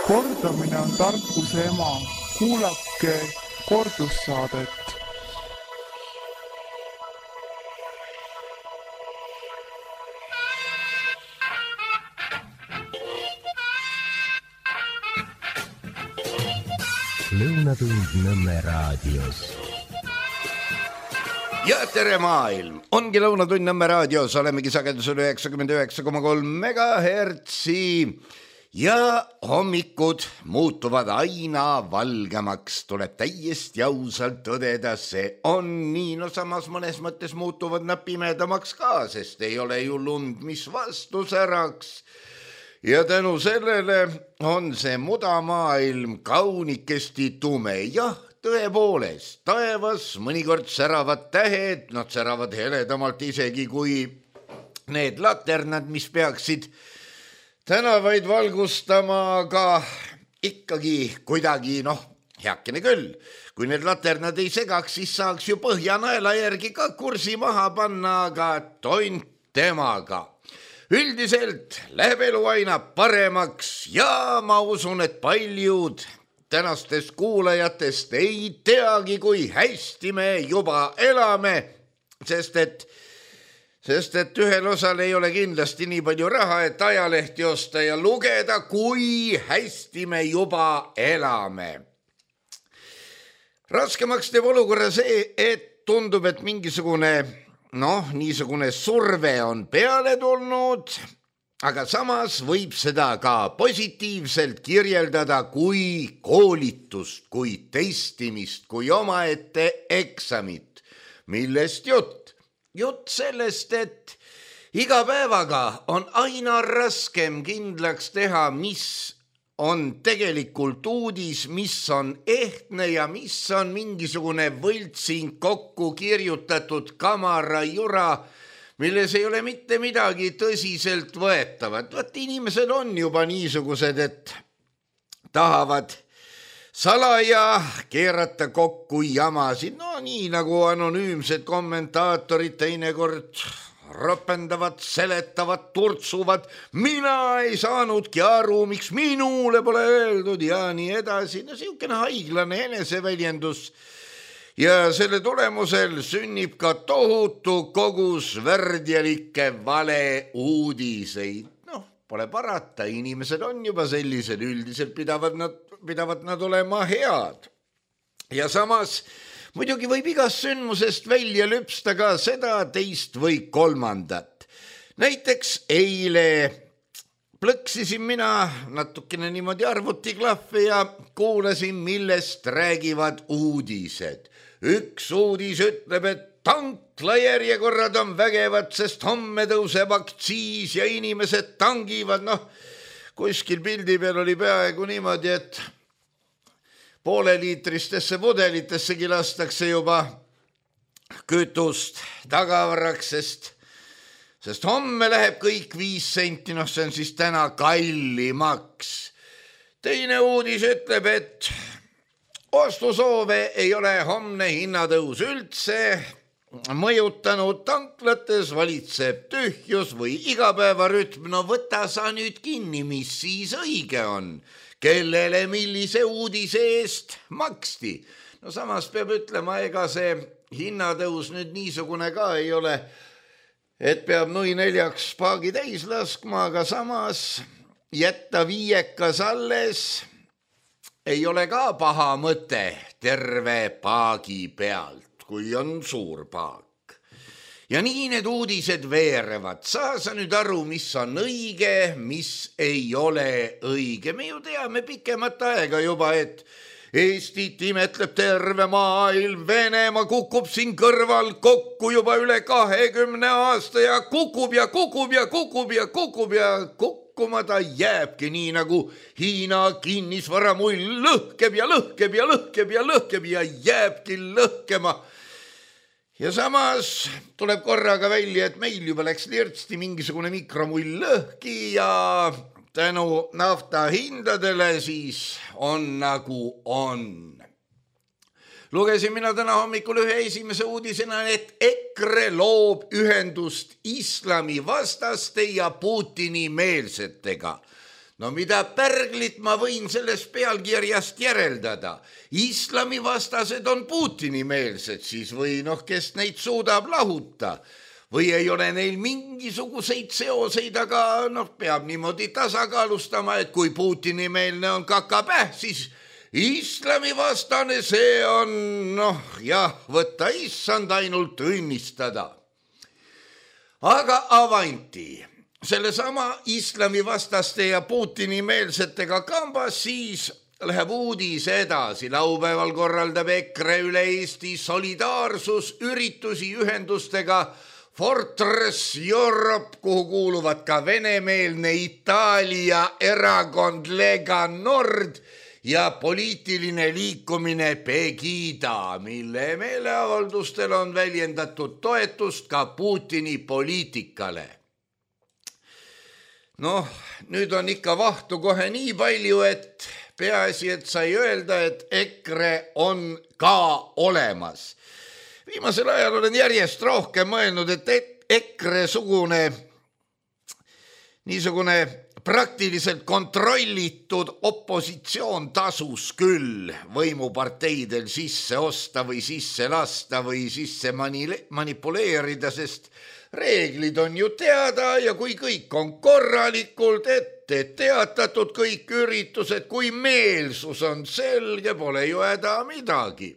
Kordamine on tarkuse ema. Kuulake kordussaadet. Lõunatund Nõmme raadios. Ja tere maailm! Ongi Lõunatund Nõmme raadios, olemegi sagedusel 99,3 megahertsi ja hommikud muutuvad aina valgemaks. Tuleb täiesti ausalt tõdeda, see on nii. No samas mõnes mõttes muutuvad nad pimedamaks ka, sest ei ole ju lund, mis vastu säraks. Ja tänu sellele on see mudamaailm kaunikesti tume. Jah, tõepoolest, taevas mõnikord säravad tähed, nad säravad heledamalt isegi kui need laternad, mis peaksid tänavaid valgustama, aga ikkagi kuidagi, heakene küll. Kui need laternad ei segaks, siis saaks ju Põhjanaela järgi ka kursi maha panna, aga tont temaga. Üldiselt läheb elu aina paremaks ja ma usun, et paljud tänastest kuulajatest ei teagi, kui hästi me juba elame, sest et ühel osal ei ole kindlasti nii palju raha, et ajalehti osta ja lugeda, kui hästi me juba elame. Raskemaks teeb olukorra see, et tundub, et mingisugune niisugune surve on peale tulnud, aga samas võib seda ka positiivselt kirjeldada kui koolitust, kui testimist, kui omaette eksamit. Millest jutt? Jutt sellest, et iga päevaga on aina raskem kindlaks teha, mis on tegelikult uudis, mis on ehtne ja mis on mingisugune võltsing kokku kirjutatud kamara jura, milles ei ole mitte midagi tõsiselt võetavat. Vaat inimesed on juba niisugused, et tahavad salaja keerata kokku jamasid. No nii nagu anonüümsed kommentaatorid teinekord ropendavad, seletavad, turtsuvad. Mina ei saanudki aru, miks minule pole öeldud ja nii edasi. No siukene haiglane eneseväljendus. Ja selle tulemusel sünnib ka tohutu kogus värdjalikke vale uudiseid. Pole parata, inimesed on juba sellised, üldiselt pidavad nad olema head. Ja samas muidugi võib igast sündmusest välja lüpsta ka seda, teist või kolmandat. Näiteks eile plõksisin mina natukene niimoodi arvutiklahve ja kuulasin, millest räägivad uudised. Üks uudis ütleb, et tanklajärjekorrad on vägevad, sest homme tõuseb aktsiis ja inimesed tangivad. Kuskil pildi peal oli peaaegu niimoodi, et pooleliitristesse pudelitessegi lastakse juba kütust tagavaraks, sest homme läheb kõik 5 senti, see on siis täna kallimaks. Teine uudis ütleb, et ostusoove ei ole homne hinnatõus üldse mõjutanud, tanklates valitseb tühjus või igapäevarütm. Võta sa nüüd kinni, mis siis õige on. Kellele millise uudise eest maksti. Samas peab ütlema, ega see hinnatõus nüüd niisugune ka ei ole, et peab nui 4 paagi täis laskma, aga samas jätta 5 alles ei ole ka paha mõte terve paagi pealt, kui on suur paak. Ja nii need uudised veerevad. Saa sa nüüd aru, mis on õige, mis ei ole õige. Me ju teame pikemat aega juba, et Eestit imetleb terve maailm. Venemaa kukub siin kõrval kokku juba üle 20 aasta ja kukub ja kukkuma ta jääbki nii nagu Hiina kinnisvaramull lõhkeb ja jääbki lõhkema. Ja samas tuleb korraga välja, et meil juba läks lirtsti mingisugune mikromull lõhki ja tänu nafta hindadele siis on nagu on. Lugesin mina täna hommikul ühe esimese uudisena, et EKRE loob ühendust islami vastaste ja Putini meelsetega. No mida pärglit ma võin sellest pealkirjast järeldada? Islamivastased on Putini-meelsed siis või kes neid suudab lahuta? Või ei ole neil mingisuguseid seoseid, aga peab niimoodi tasakaalustama, et kui Putini-meelne on kakapäh, siis islamivastane see on, võtta issand ainult õnnistada. Aga avanti, sellesama islamivastaste ja Putini-meelsetega kambas siis läheb uudis edasi. Laupäeval korraldab EKRE üle Eesti solidaarsusüritusi ühendustega Fortress Europe, kuhu kuuluvad ka venemeelne Itaalia erakond Lega Nord ja poliitiline liikumine Pegida, mille meeleavaldustel on väljendatud toetust ka Putini poliitikale. Nüüd on ikka vahtu kohe nii palju, et peaasi, et sai öelda, et EKRE on ka olemas. Viimasel ajal olen järjest rohkem mõelnud, et EKRE-sugune niisugune praktiliselt kontrollitud opositsioon tasus küll võimuparteidel sisse osta või sisse lasta või sisse manipuleerida, sest reeglid on ju teada ja kui kõik on korralikult ette teatatud, kõik üritused, kui meelsus on selge, pole ju häda midagi.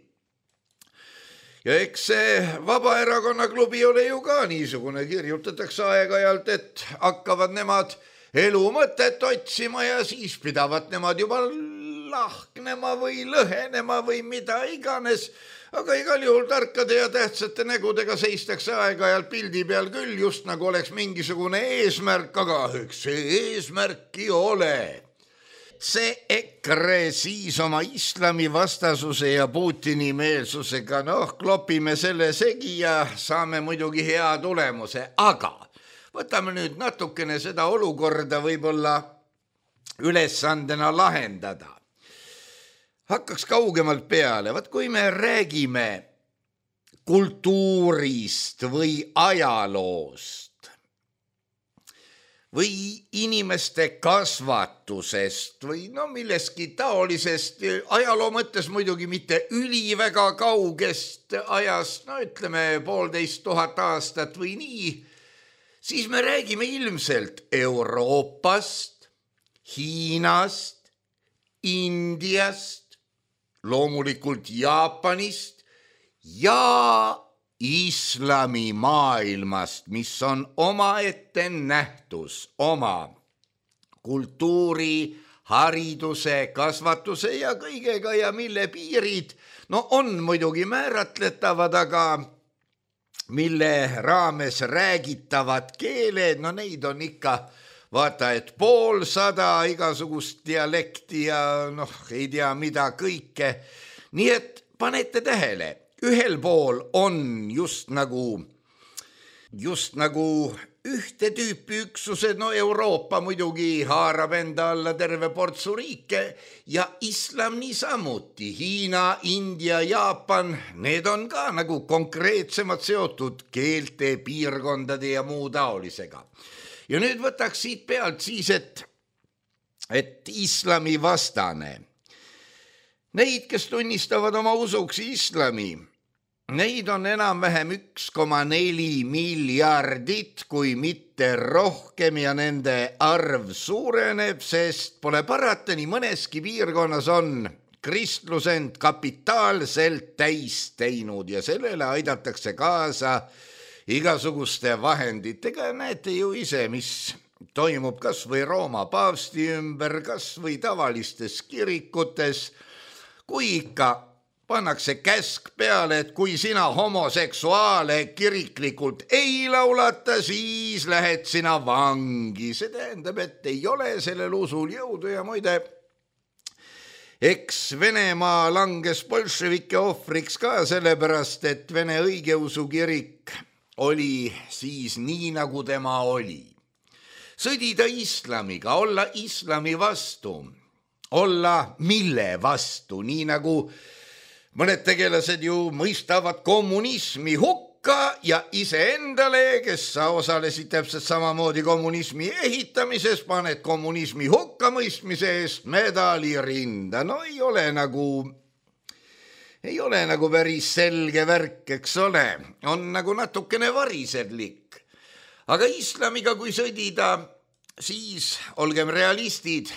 Ja eks see Vabaerakonna klubi ole ju ka niisugune, kirjutatakse aeg-ajalt, et hakkavad nemad elu mõtet otsima ja siis pidavat nemad juba lahknema või lõhenema või mida iganes. Aga igal juhul tarkade ja tähtsate nägudega seistakse aeg-ajalt pildi peal küll, just nagu oleks mingisugune eesmärk, aga eks see eesmärki ole. See EKRE siis oma islamivastasuse ja Putini meelsusega, klopime selle segi ja saame muidugi hea tulemuse, aga võtame nüüd natukene seda olukorda võib-olla ülesandena lahendada. Hakkaks kaugemalt peale, kui me räägime kultuurist või ajaloost või inimeste kasvatusest või millestki taolisest, ajaloo mõttes muidugi mitte üliväga kaugest ajast, ütleme 1500 aastat või nii, siis me räägime ilmselt Euroopast, Hiinast, Indiast, loomulikult Jaapanist ja islamimaailmast, mis on omaette nähtus, oma kultuuri, hariduse, kasvatuse ja kõigega ja mille piirid on muidugi määratletavad, aga mille raames räägitavad keeled, neid on ikka vaata, et 500 igasugust dialekti ja ei tea mida kõike. Nii et panete tähele, ühel pool on just nagu ühte tüüpi üksused, Euroopa muidugi haarab enda alla terve portsu riike ja islam niisamuti, Hiina, India, Jaapan, need on ka nagu konkreetsemad seotud keelte, piirkondade ja muu taolisega. Ja nüüd võtaks siit pealt siis, et islami vastane. Neid, kes tunnistavad oma usuks islami, neid on enam-vähem 1,4 miljardit, kui mitte rohkem ja nende arv suureneb, sest pole parata, nii mõneski piirkonnas on kristlus end kapitaalselt täis teinud ja sellele aidatakse kaasa igasuguste vahenditega. Näete ju ise, mis toimub kas või Rooma paavsti ümber, kas või tavalistes kirikutes, kui ikka pannakse käsk peale, et kui sina homoseksuaale kiriklikult ei laulata, siis lähed sina vangi. See tähendab, et ei ole sellel usul jõudu ja muide, eks Venemaa langes bolševike ohvriks ka sellepärast, et Vene õigeusu kirik oli siis nii, nagu tema oli. Sõdida islamiga, olla islami vastu, olla mille vastu, nii nagu mõned tegelased ju mõistavad kommunismi hukka, hukka ja iseendale, kes sa osalesid täpselt samamoodi kommunismi ehitamises, paned kommunismi hukkamõistmise eest medali rinda. No ei ole nagu päris selge värk, eks ole, on nagu natukene varisedlik. Aga islamiga kui sõdida, siis olgem realistid,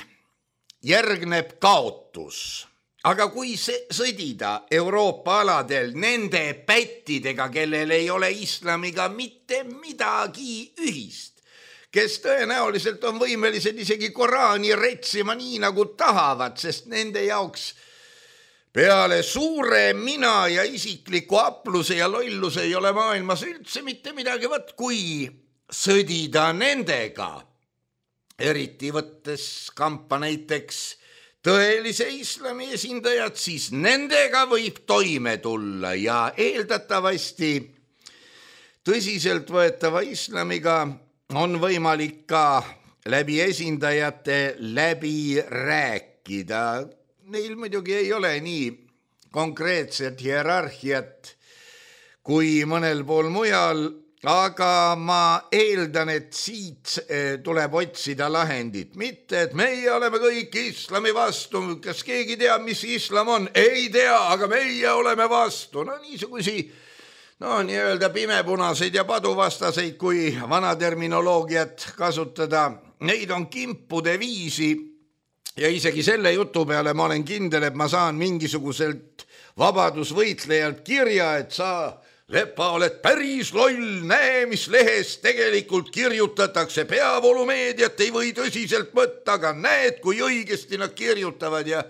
järgneb kaotus. Aga kui sõdida Euroopa aladel nende pättidega, kellel ei ole islamiga mitte midagi ühist, kes tõenäoliselt on võimelised isegi Koraani retsima nii nagu tahavad, sest nende jaoks peale suure mina ja isikliku apluse ja lolluse ei ole maailmas üldse mitte midagi, kui sõdida nendega, eriti võttes kampa näiteks tõelise islami esindajad, siis nendega võib toime tulla ja eeldatavasti tõsiseltvõetava islamiga on võimalik ka läbi esindajate läbi rääkida. Neil muidugi ei ole nii konkreetset hierarhiat kui mõnel pool mujal, aga ma eeldan, et siit tuleb otsida lahendit. Mitte, et meie oleme kõik islami vastu. Kas keegi teab, mis islam on? Ei tea, aga meie oleme vastu. No niisugusi, nii-öelda pimepunaseid ja paduvastaseid, kui vana terminoloogiat kasutada. Neid on kimpude viisi ja isegi selle jutu peale ma olen kindel, et ma saan mingisuguselt vabadusvõitlejalt kirja, et sa Lepa, oled päris loll, näe, mis lehes tegelikult kirjutatakse. Peavoolumeediat ei või tõsiselt võtta, aga näed, kui õigesti nad kirjutavad ja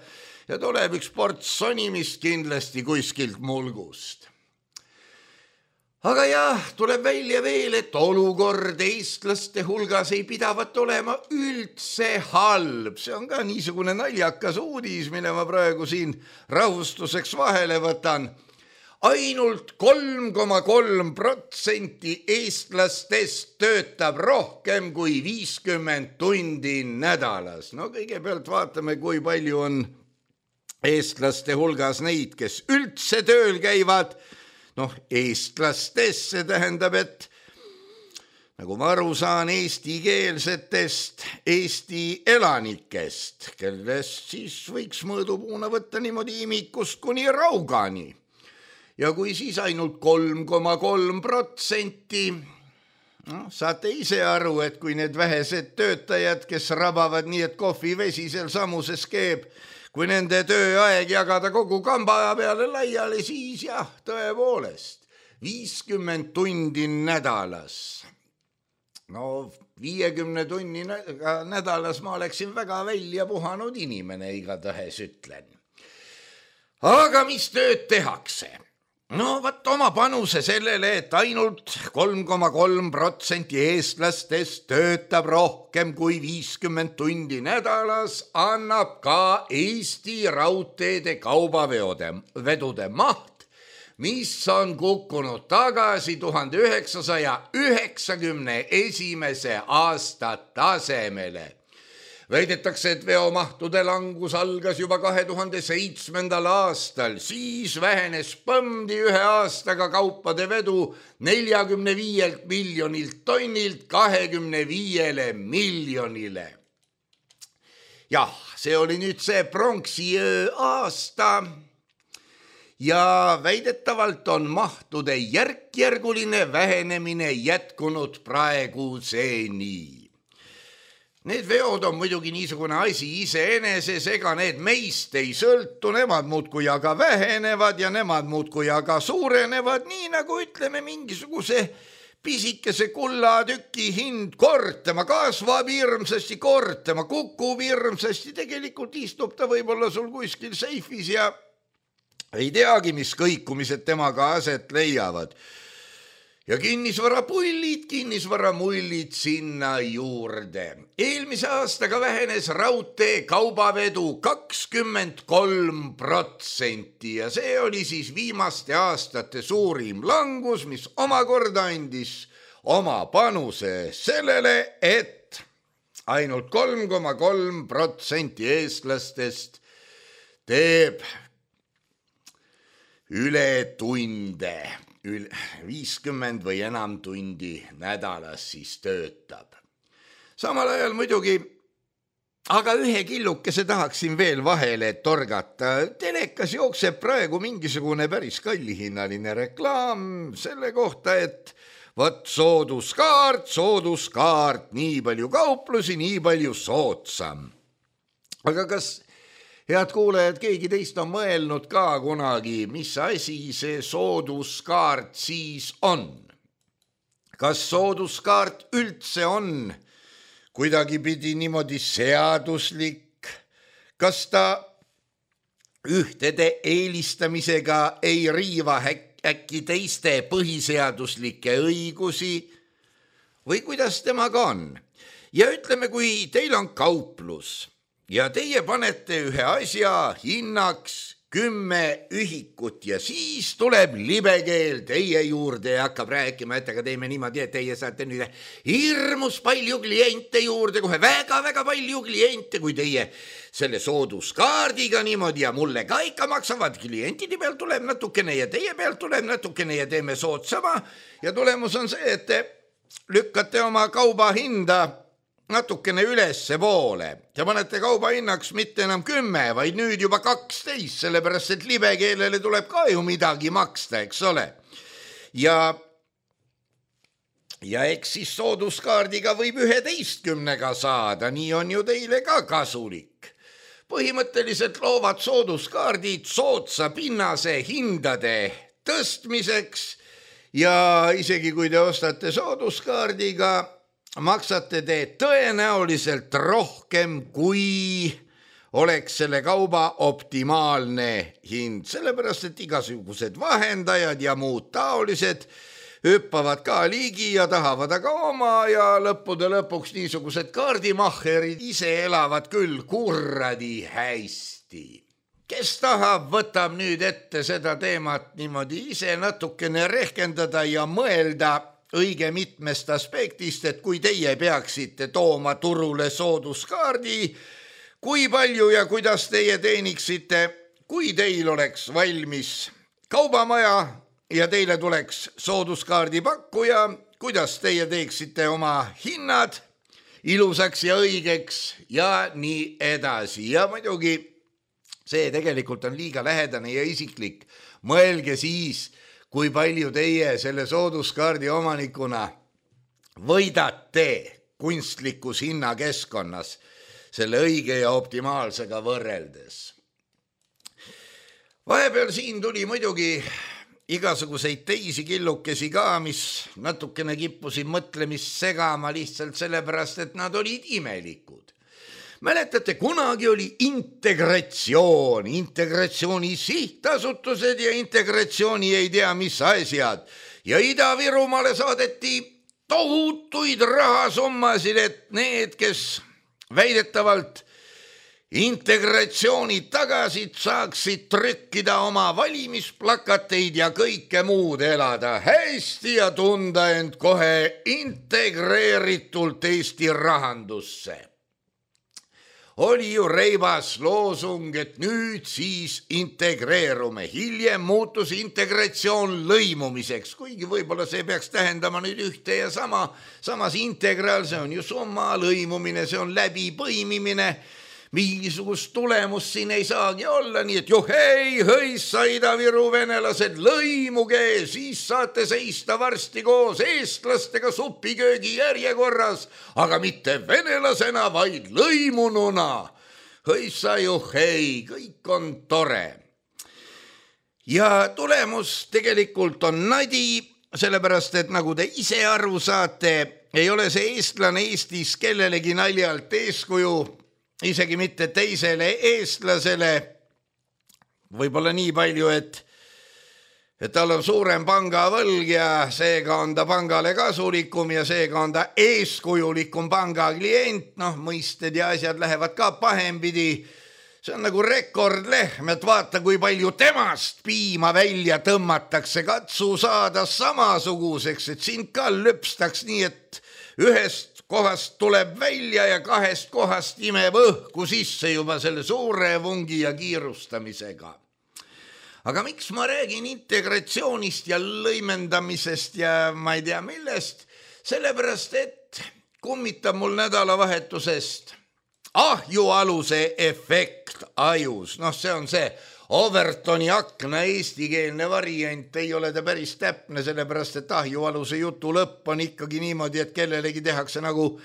tuleb üks ports sonimist kindlasti kuskilt mulgust. Aga jah, tuleb välja veel, et olukord eestlaste hulgas ei pidavat olema üldse halb. See on ka niisugune naljakas uudis, mille ma praegu siin rahustuseks vahele võtan. Ainult 3,3% eestlastest töötab rohkem kui 50 tundi nädalas. No kõigepealt vaatame, kui palju on eestlaste hulgas neid, kes üldse tööl käivad. Eestlastest see tähendab, et nagu ma aru saan eestikeelsetest Eesti elanikest, kellest siis võiks mõõdupuuna võtta niimoodi imikust kuni Raugani. Ja kui siis ainult 3,3%, saate ise aru, et kui need vähesed töötajad, kes rabavad nii, et kohvivesi seal samuses keeb, kui nende tööaeg jagada kogu kamba peale laiali, siis jah, tõepoolest, 50 tundi nädalas. 50 tunni nädalas ma oleksin väga välja puhanud inimene, igatahes ütlen. Aga mis tööd tehakse? Oma panuse sellele, et ainult 3,3% eestlastest töötab rohkem kui 50 tundi nädalas, annab ka Eesti raudteede kaubavedude maht, mis on kukkunud tagasi 1991. aasta tasemele. Väidetakse, et veomahtude langus algas juba 2007. aastal, siis vähenes põmdi ühe aastaga kaupade vedu 45 miljonilt tonnilt 25 miljonile. Jah, see oli nüüd see pronksiöö aasta ja väidetavalt on mahtude järkjärguline vähenemine jätkunud praeguseni. Need veod on muidugi niisugune asi iseeneses, ega need meist ei sõltu, nemad muudkui aga vähenevad ja nemad muudkui aga suurenevad, nii nagu ütleme mingisuguse pisikese kullatüki hind kortema, kasvab hirmsasti kortema, kukub hirmsasti, tegelikult istub ta võib-olla sul kuskil seifis ja ei teagi, mis kõikumised temaga aset leiavad. Ja kinnisvaramullid sinna juurde. Eelmise aastaga vähenes raudtee kaubavedu 23% ja see oli siis viimaste aastate suurim langus, mis omakorda andis oma panuse sellele, et ainult 3,3% eestlastest teeb ületunde. 50 või enam tundi nädalas siis töötab. Samal ajal muidugi, aga ühe killukese tahaksin veel vahele torgata. Telekas jookseb praegu mingisugune päris kallihinnaline reklaam selle kohta, et võt sooduskaart, nii palju kauplusi, nii palju soodsam. Aga kas, head kuulajad, keegi teist on mõelnud ka kunagi, mis asi see sooduskaart siis on? Kas sooduskaart üldse on kuidagipidi niimoodi seaduslik? Kas ta ühtede eelistamisega ei riiva äkki teiste põhiseaduslikke õigusi või kuidas temaga on? Ja ütleme, kui teil on kauplus ja teie panete ühe asja hinnaks 10 ühikut ja siis tuleb libekeel teie juurde ja hakkab rääkima, et aga teeme niimoodi, et teie saate nüüd hirmus palju kliente juurde, kohe väga-väga palju kliente, kui teie selle sooduskaardiga niimoodi ja mulle ka ikka maksavad, klientide pealt tuleb natukene ja teie pealt tuleb natukene ja teeme soodsama ja tulemus on see, et te lükkate oma kauba hinda natukene ülesse poole. Te panete kauba hinnaks mitte enam 10, vaid nüüd juba 12, sellepärast et libekeelele tuleb ka ju midagi maksta, eks ole. Ja eks siis sooduskaardiga võib 11 saada, nii on ju teile ka kasulik. Põhimõtteliselt loovad sooduskaardid soodsa pinnase hindade tõstmiseks ja isegi kui te ostate sooduskaardiga, maksate te tõenäoliselt rohkem, kui oleks selle kauba optimaalne hind, sellepärast et igasugused vahendajad ja muud taolised hüppavad ka ligi ja tahavad aga oma ja lõppude lõpuks niisugused kaardimahherid ise elavad küll kurradi hästi. Kes tahab, võtab nüüd ette seda teemat niimoodi ise natukene rehkendada ja mõelda õige mitmest aspektist, et kui teie peaksite tooma turule sooduskaardi, kui palju ja kuidas teie teeniksite, kui teil oleks valmis kaubamaja ja teile tuleks sooduskaardi pakkuja, kuidas teie teeksite oma hinnad ilusaks ja õigeks ja nii edasi. Ja muidugi see tegelikult on liiga lähedane ja isiklik. Mõelge siis, kui palju teie selle sooduskaardi omanikuna võidate kunstlikus hinnakeskkonnas selle õige ja optimaalsega võrreldes. Vahepeal siin tuli muidugi igasuguseid teisi killukesi ka, mis natukene kippusid mõtlemist segama lihtsalt sellepärast, et nad olid imelikud. Mäletate, kunagi oli integratsiooni sihtasutused ja integratsiooni ei tea mis asjad. Ja Ida-Virumaale saadeti tohutuid rahasummasid, et need, kes väidetavalt integratsiooni tagasid saaksid trükkida oma valimisplakateid ja kõike muud elada hästi ja tunda end kohe integreeritult Eesti rahandusse. Oli ju reibas loosung, et nüüd siis integreerume. Hiljem muutus integratsioon lõimumiseks, kuigi võib-olla see peaks tähendama nüüd ühte ja sama. Samas integraal, see on ju summa, lõimumine, see on läbipõimimine. Mingisugust tulemust siin ei saagi olla, nii et hõissa Ida-Viru venelased, lõimuge, siis saate seista varsti koos eestlastega supiköögi järjekorras, aga mitte venelasena, vaid lõimununa. Hõissa kõik on tore. Ja tulemus tegelikult on nadi, sellepärast et nagu te ise aru saate, ei ole see eestlane Eestis kellelegi naljalt eeskuju, isegi mitte teisele eestlasele, võib-olla nii palju, et tal on suurem pangavõlg ja seega on ta pangale kasulikum ja seega on ta eeskujulikum pangaklient, mõisted ja asjad lähevad ka pahempidi. See on nagu rekordlehm, et vaata, kui palju temast piima välja tõmmatakse, katsu saada samasuguseks, et sind ka lüpstaks nii, et ühest kohast tuleb välja ja 2 kohast imeb õhku sisse juba selle suure vungi ja kiirustamisega. aga miks ma räägin integratsioonist ja lõimendamisest ja ma ei tea millest, sellepärast et kummitab mul nädalavahetusest ahjualuse efekt ajus. See on see Overtoni akna eestikeelne variant, ei ole ta päris täpne, sellepärast et ahjualuse jutu lõpp on ikkagi niimoodi, et kellelegi tehakse nagu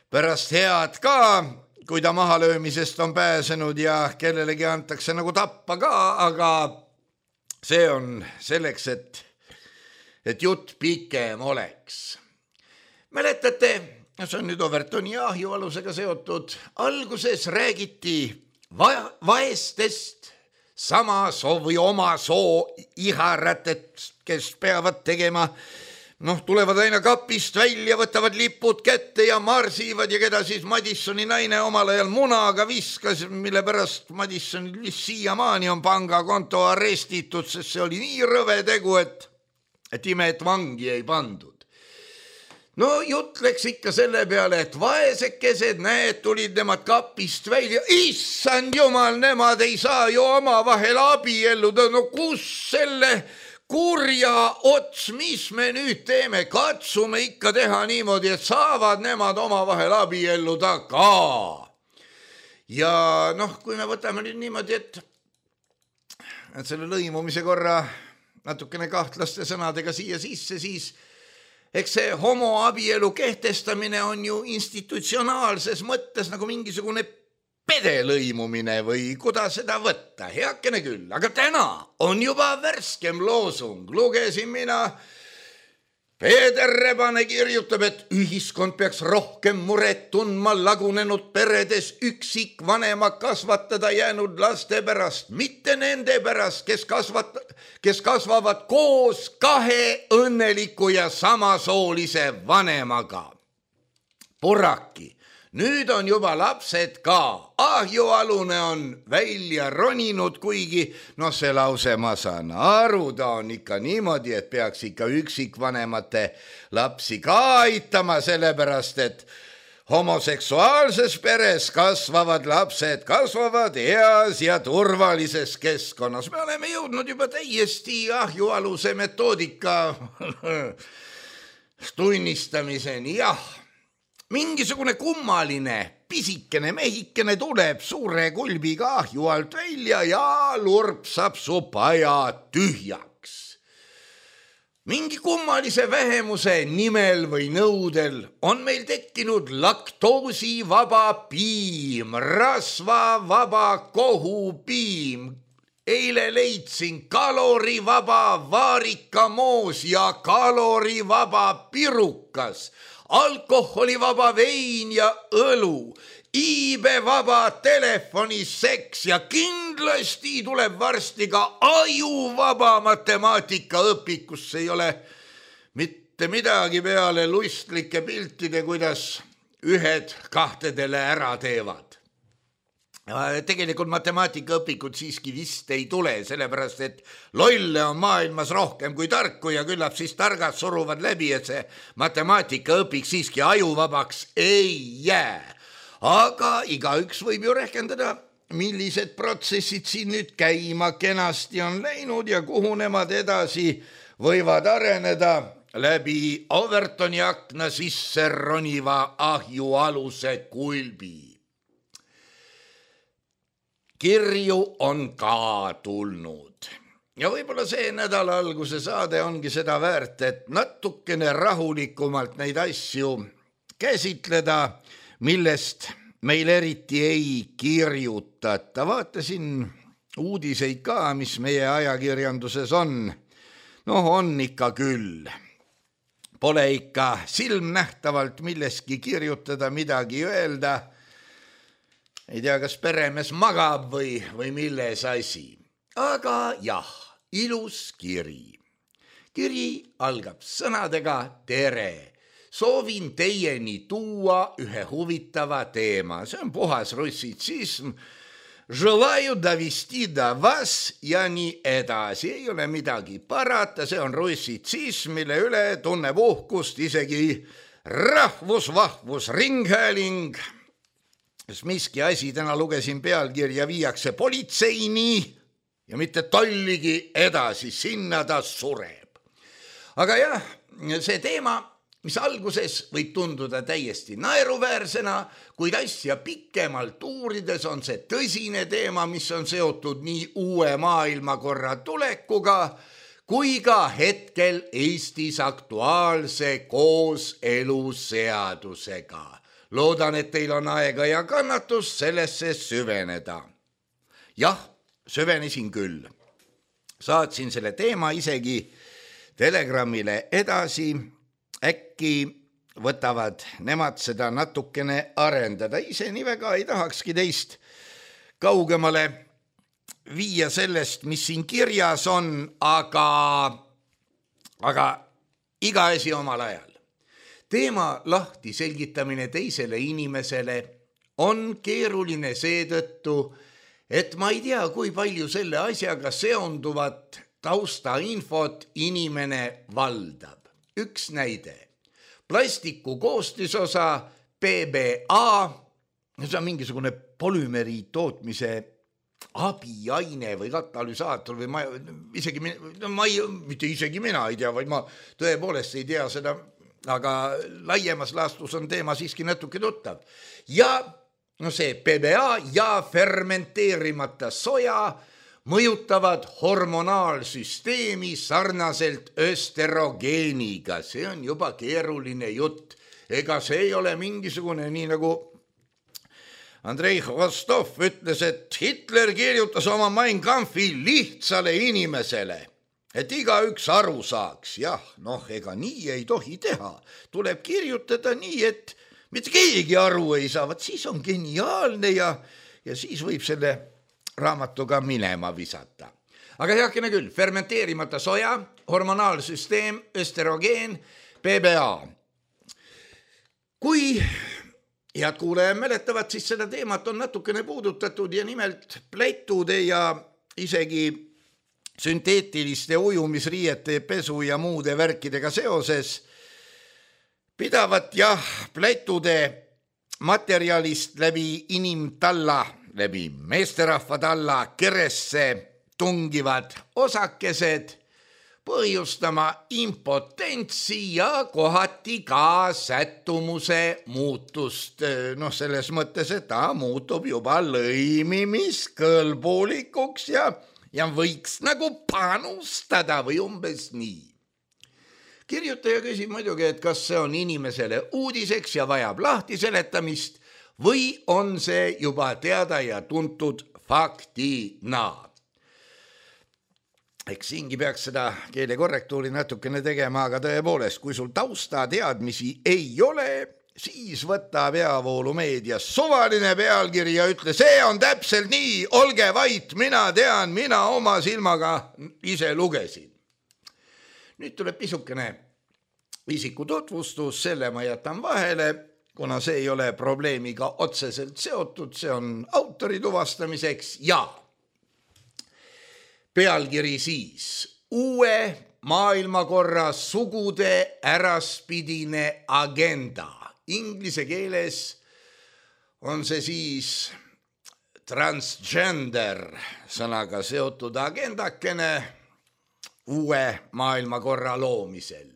pärast head ka, kui ta mahalöömisest on pääsenud ja kellelegi antakse nagu tappa ka, aga see on selleks, et jutt pikem oleks. Mäletate, see on nüüd Overtoni ja ahjualusega seotud, alguses räägiti vaestest sama soo või oma soo iharätet, kes peavad tegema, tulevad aina kapist välja, võtavad lipud kätte ja marsivad ja keda siis Madissoni naine omal ajal munaga viskas, mille pärast Madissonil siiamaani on pangakonto arestitud, sest see oli nii rõve tegu, et ime, et vangi ei pandud. Jutt läks ikka selle peale, et vaesekesed, näed, tulid nemad kapist välja. Issand jumal, nemad ei saa ju omavahel abielluda. Kus selle kurja ots, mis me nüüd teeme? Katsume ikka teha niimoodi, et saavad nemad omavahel abielluda ka. Ja kui me võtame nüüd niimoodi, et selle lõimumise korra natukene kahtlaste sõnadega siia sisse, siis eks see homoabielu kehtestamine on ju institutsionaalses mõttes nagu mingisugune pedelõimumine või kuidas seda võtta, heakene küll. Aga täna on juba värskem loosung. Lugesin mina, Peeter Rebane kirjutab, et ühiskond peaks rohkem muret tundma lagunenud peredes üksikvanema kasvatada jäänud laste pärast, mitte nende pärast, kes kasvavad koos kahe õnneliku ja samasoolise vanemaga. Purraki, nüüd on juba lapsed ka. Ahjualune on välja roninud, kuigi see lause ma saan aru, ta on ikka niimoodi, et peaks ikka üksikvanemate lapsi ka aitama, sellepärast et homoseksuaalses peres kasvavad lapsed, kasvavad heas ja turvalises keskkonnas. Me oleme jõudnud juba täiesti ahjualuse metoodika tunnistamiseni, jah. Mingisugune kummaline pisikene mehikene tuleb suure kulbiga ahju alt välja ja lurpsab su paja tühjaks. Mingi kummalise vähemuse nimel või nõudel on meil tekkinud laktoosivaba piim, rasvavaba kohupiim. Eile leidsin kalorivaba vaarikamoos ja kalorivaba pirukas, alkoholivaba vein ja õlu, iibevaba telefoniseks ja kindlasti tuleb varsti ka ajuvaba matemaatikaõpik, kus ei ole mitte midagi peale lustlike piltide, kuidas ühed kahtedele ära teevad. Tegelikult matemaatikaõpikud siiski vist ei tule, sellepärast et lolle on maailmas rohkem kui tarku ja küllap siis targad suruvad läbi, et see matemaatikaõpik siiski ajuvabaks ei jää. Aga igaüks võib ju rehkendada, millised protsessid siin nüüd käima kenasti on läinud ja kuhu nemad edasi võivad areneda läbi Overtoni akna sisse roniva ahjualuse kulbi. Kirju on ka tulnud ja võib-olla see nädala alguse saade ongi seda väärt, et natukene rahulikumalt neid asju käsitleda, millest meil eriti ei kirjutata. Vaatasin uudiseid ka, mis meie ajakirjanduses on. On ikka küll. Pole ikka silmnähtavalt milleski kirjutada, midagi öelda. Ei tea, kas peremees magab või milles asi. Aga jah, ilus kiri. Kiri algab sõnadega tere. Soovin teieni tuua ühe huvitava teema. See on puhas russitsism. Желаю довести до вас ja nii edasi. Ei ole midagi parata. See on russitsism, mille üle tunneb uhkust isegi rahvusvahvus ringhääling. Miski asi, täna lugesin pealkirja, viiakse politseini ja mitte tolligi edasi, sinna ta sureb. Aga jah, see teema, mis alguses võib tunduda täiesti naeruväärsena, kuid asja pikemalt uurides on see tõsine teema, mis on seotud nii uue maailmakorra tulekuga, kui ka hetkel Eestis aktuaalse kooseluseadusega. Loodan, et teil on aega ja kannatus sellesse süveneda. Jah, süvenesin küll. Saatsin selle teema isegi Telegramile edasi. Äkki võtavad nemad seda natukene arendada. Ise nii väga ei tahakski teist kaugemale viia sellest, mis siin kirjas on, aga iga asi omal ajal. Teema lahti selgitamine teisele inimesele on keeruline seetõttu, et ma ei tea, kui palju selle asjaga seonduvat taustainfot inimene valdab. Üks näide. Plastiku koostisosa PBA, see on mingisugune polümeri tootmise abiaine või katalüsaator või mitte isegi mina ei tea, vaid ma tõepoolest ei tea seda, aga laiemas laastus on teema siiski natuke tuttav. Ja see PBA ja fermenteerimata soja mõjutavad hormonaalsüsteemi sarnaselt östrogeeniga. See on juba keeruline jutt. Ega see ei ole mingisugune, nii nagu Andrei Rostov ütles, et Hitler kirjutas oma Mein Kampfi lihtsale inimesele, et igaüks aru saaks. Jah, ega nii ei tohi teha. Tuleb kirjutada nii, et mitte keegi aru ei saa. Vaat siis on geniaalne ja siis võib selle raamatuga minema visata. Aga heakene küll, fermenteerimata soja, hormonaalsüsteem, östrogeen, PBA. Kui head kuulajad mäletavad, siis seda teemat on natukene puudutatud ja nimelt plätude ja isegi sünteetiliste ujumisriiete, pesu ja muude värkidega seoses pidavat plätude materjalist läbi inimtalla, läbi meesterahva talla keresse tungivad osakesed põhjustama impotentsi ja kohati ka sättumuse muutust. Selles mõttes, et ta muutub juba lõimimiskõlbulikuks ja võiks nagu panustada või umbes nii. Kirjutaja küsib muidugi, et kas see on inimesele uudiseks ja vajab lahti seletamist või on see juba teada ja tuntud faktina. Eks siingi peaks seda keelekorrektuuri natukene tegema, aga tõepoolest, kui sul tausta teadmisi ei ole, siis võta peavoolumeedia suvaline pealkiri ja ütle, see on täpselt nii, olge vait, mina tean, mina oma silmaga ise lugesin. Nüüd tuleb pisukene isiku tutvustus, selle ma jätan vahele, kuna see ei ole probleemiga otseselt seotud, see on autori tuvastamiseks ja pealkiri siis uue maailmakorra sugude äraspidine agenda. Inglise keeles on see siis transgender sõnaga seotud agendakene uue maailmakorra loomisel.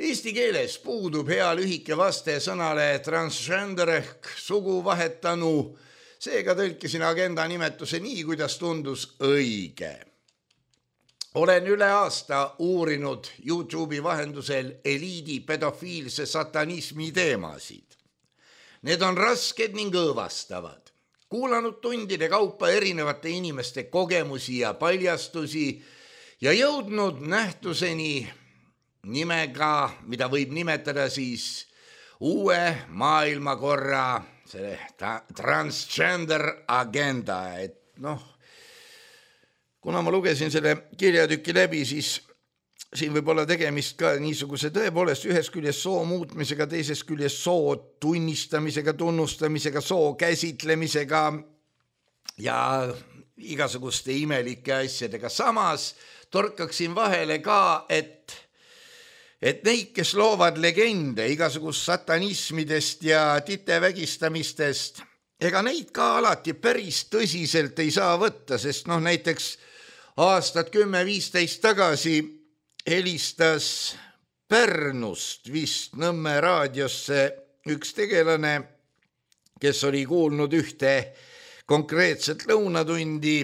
Eesti keeles puudub hea lühike vaste sõnale transgender ehk sugu vahetanu, seega tõlkisin agenda nimetuse nii, kuidas tundus õige. Olen üle aasta uurinud YouTube'i vahendusel eliidi pedofiilse satanismi teemasid. Need on rasked ning õõvastavad. Kuulanud tundide kaupa erinevate inimeste kogemusi ja paljastusi ja jõudnud nähtuseni nimega, mida võib nimetada siis uue maailmakorra transgender agenda, et kuna ma lugesin selle kirjatüki läbi, siis siin võib olla tegemist ka niisuguse tõepoolest ühes küljes soo muutmisega, teises küljes soo tunnistamisega, tunnustamisega, soo käsitlemisega ja igasuguste imelike asjadega. Samas torkaksin vahele ka, et neid, kes loovad legende igasugust satanismidest ja titevägistamistest, ega neid ka alati päris tõsiselt ei saa võtta, sest näiteks aastat 10-15 tagasi helistas Pärnust vist Nõmme raadiosse üks tegelane, kes oli kuulnud ühte konkreetset lõunatundi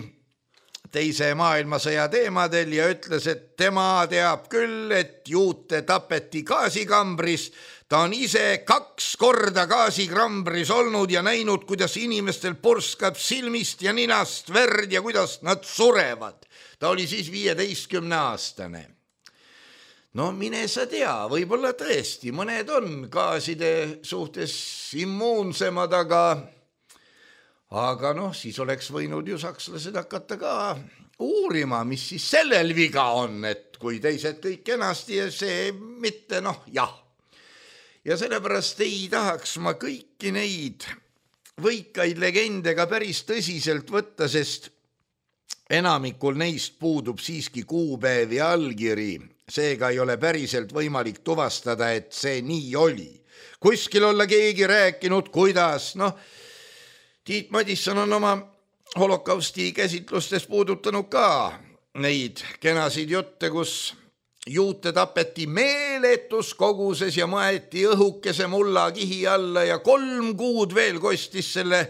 teise maailmasõja teemadel ja ütles, et tema teab küll, et juute tapeti gaasikambris. Ta on ise 2 korda gaasikambris olnud ja näinud, kuidas inimestel purskab silmist ja ninast verd ja kuidas nad surevad. Ta oli siis 15-aastane. No mine sa tea, võib-olla tõesti, mõned on gaaside suhtes immuunsemad, aga siis oleks võinud ju sakslased hakata ka uurima, mis siis sellel viga on, et kui teised kõik kenasti ja see mitte, jah. Ja sellepärast ei tahaks ma kõiki neid võikaid legende ka päris tõsiselt võtta, sest enamikul neist puudub siiski kuupäev ja allkiri. Seega ei ole päriselt võimalik tuvastada, et see nii oli. Kuskil olla keegi rääkinud, kuidas, Tiit Madisson on oma holokausti käsitlustes puudutanud ka neid kenasid jutte, kus juute tapeti meeletus koguses ja maeti õhukese mullakihi alla ja 3 kuud veel kostis selle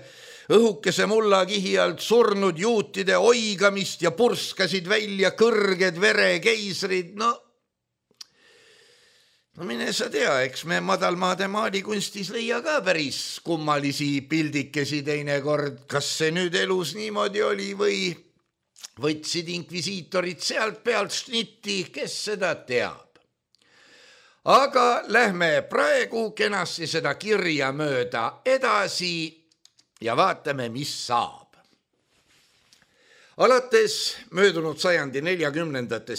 õhukese mullakihi alt surnud juutide oigamist ja purskasid välja kõrged verekeisrid. No mine sa tea, eks me madalmaade maalikunstis leia ka päris kummalisi pildikesi teinekord, kas see nüüd elus niimoodi oli või võtsid inkvisiitorid sealt pealt šnitti, kes seda teab. Aga lähme praegu kenasti seda kirja mööda edasi ja vaatame, mis saab. Alates möödunud sajandi 40.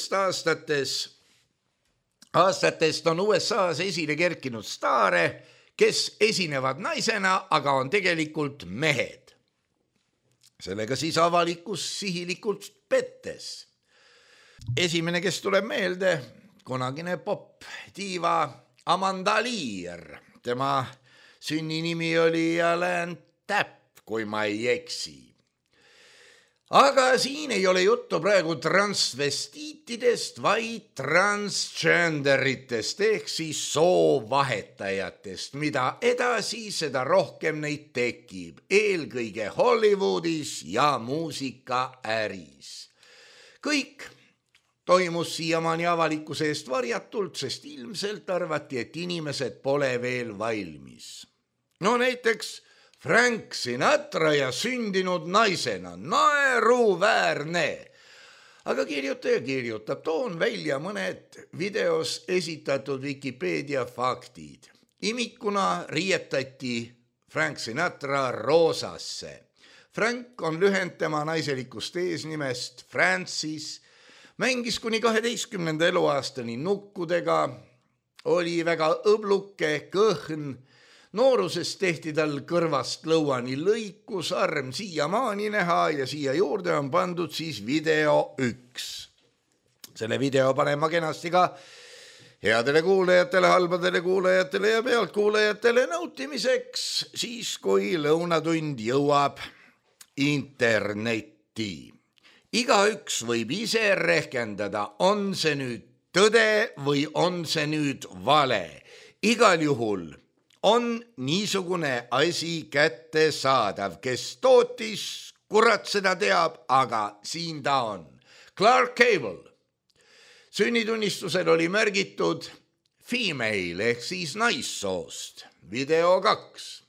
aastatest on USA-s esile kerkinud staare, kes esinevad naisena, aga on tegelikult mehed. Sellega siis avalikkus sihilikult pettes. Esimene, kes tuleb meelde, kunagine pop-diiva Amanda Lear. Tema sünninimi oli Alain Tapp, kui ma ei eksi. Aga siin ei ole juttu praegu transvestiitidest, vaid transgenderitest ehk siis soovahetajatest, mida edasi, seda rohkem neid tekib, eelkõige Hollywoodis ja muusikaäris. Kõik toimus siiamaani avalikkuse eest varjatult, sest ilmselt arvati, et inimesed pole veel valmis. Näiteks Frank Sinatra ja sündinud naisena, naeruväärne. Aga kirjutaja kirjutab, toon välja mõned videos esitatud Wikipedia faktid. Imikuna riietati Frank Sinatra roosasse. Frank on lühend tema naiselikust eesnimest Francis, mängis kuni 12. eluaastani nukkudega, oli väga õbluke, kõhn. Nooruses tehti tal kõrvast lõuani lõiku, sarm siiamaani näha ja siia juurde on pandud siis video 1. Selle video panen ma kenasti ka headele kuulajatele, halbadele kuulajatele ja pealtkuulajatele nautimiseks, siis kui lõunatund jõuab internetti. Igaüks võib ise rehkendada, on see nüüd tõde või on see nüüd vale. Igal juhul on niisugune asi kättesaadav, kes tootis, kurat seda teab, aga siin ta on. Clark Cable. Sünnitunnistusel oli märgitud female ehk siis naissoost. Video 2.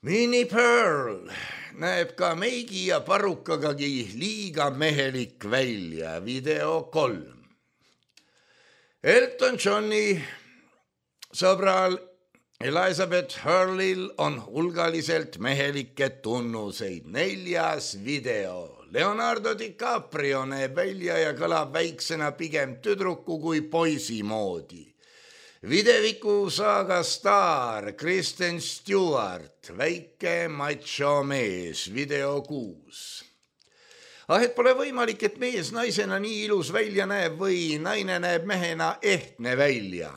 Minnie Pearl näeb ka meigi ja parukagagi liiga mehelik välja. Video 3. Elton Johni sõbral Elizabeth Hurley'l on hulgaliselt mehelikke tunnuseid. 4. video. Leonardo DiCaprio näeb välja ja kõlab väiksena pigem tüdruku kui poisi moodi. Videviku saaga staar Kristen Stewart, väike macho mees, video 6. Et pole võimalik, et mees naisena nii ilus välja näeb või naine näeb mehena ehtne välja.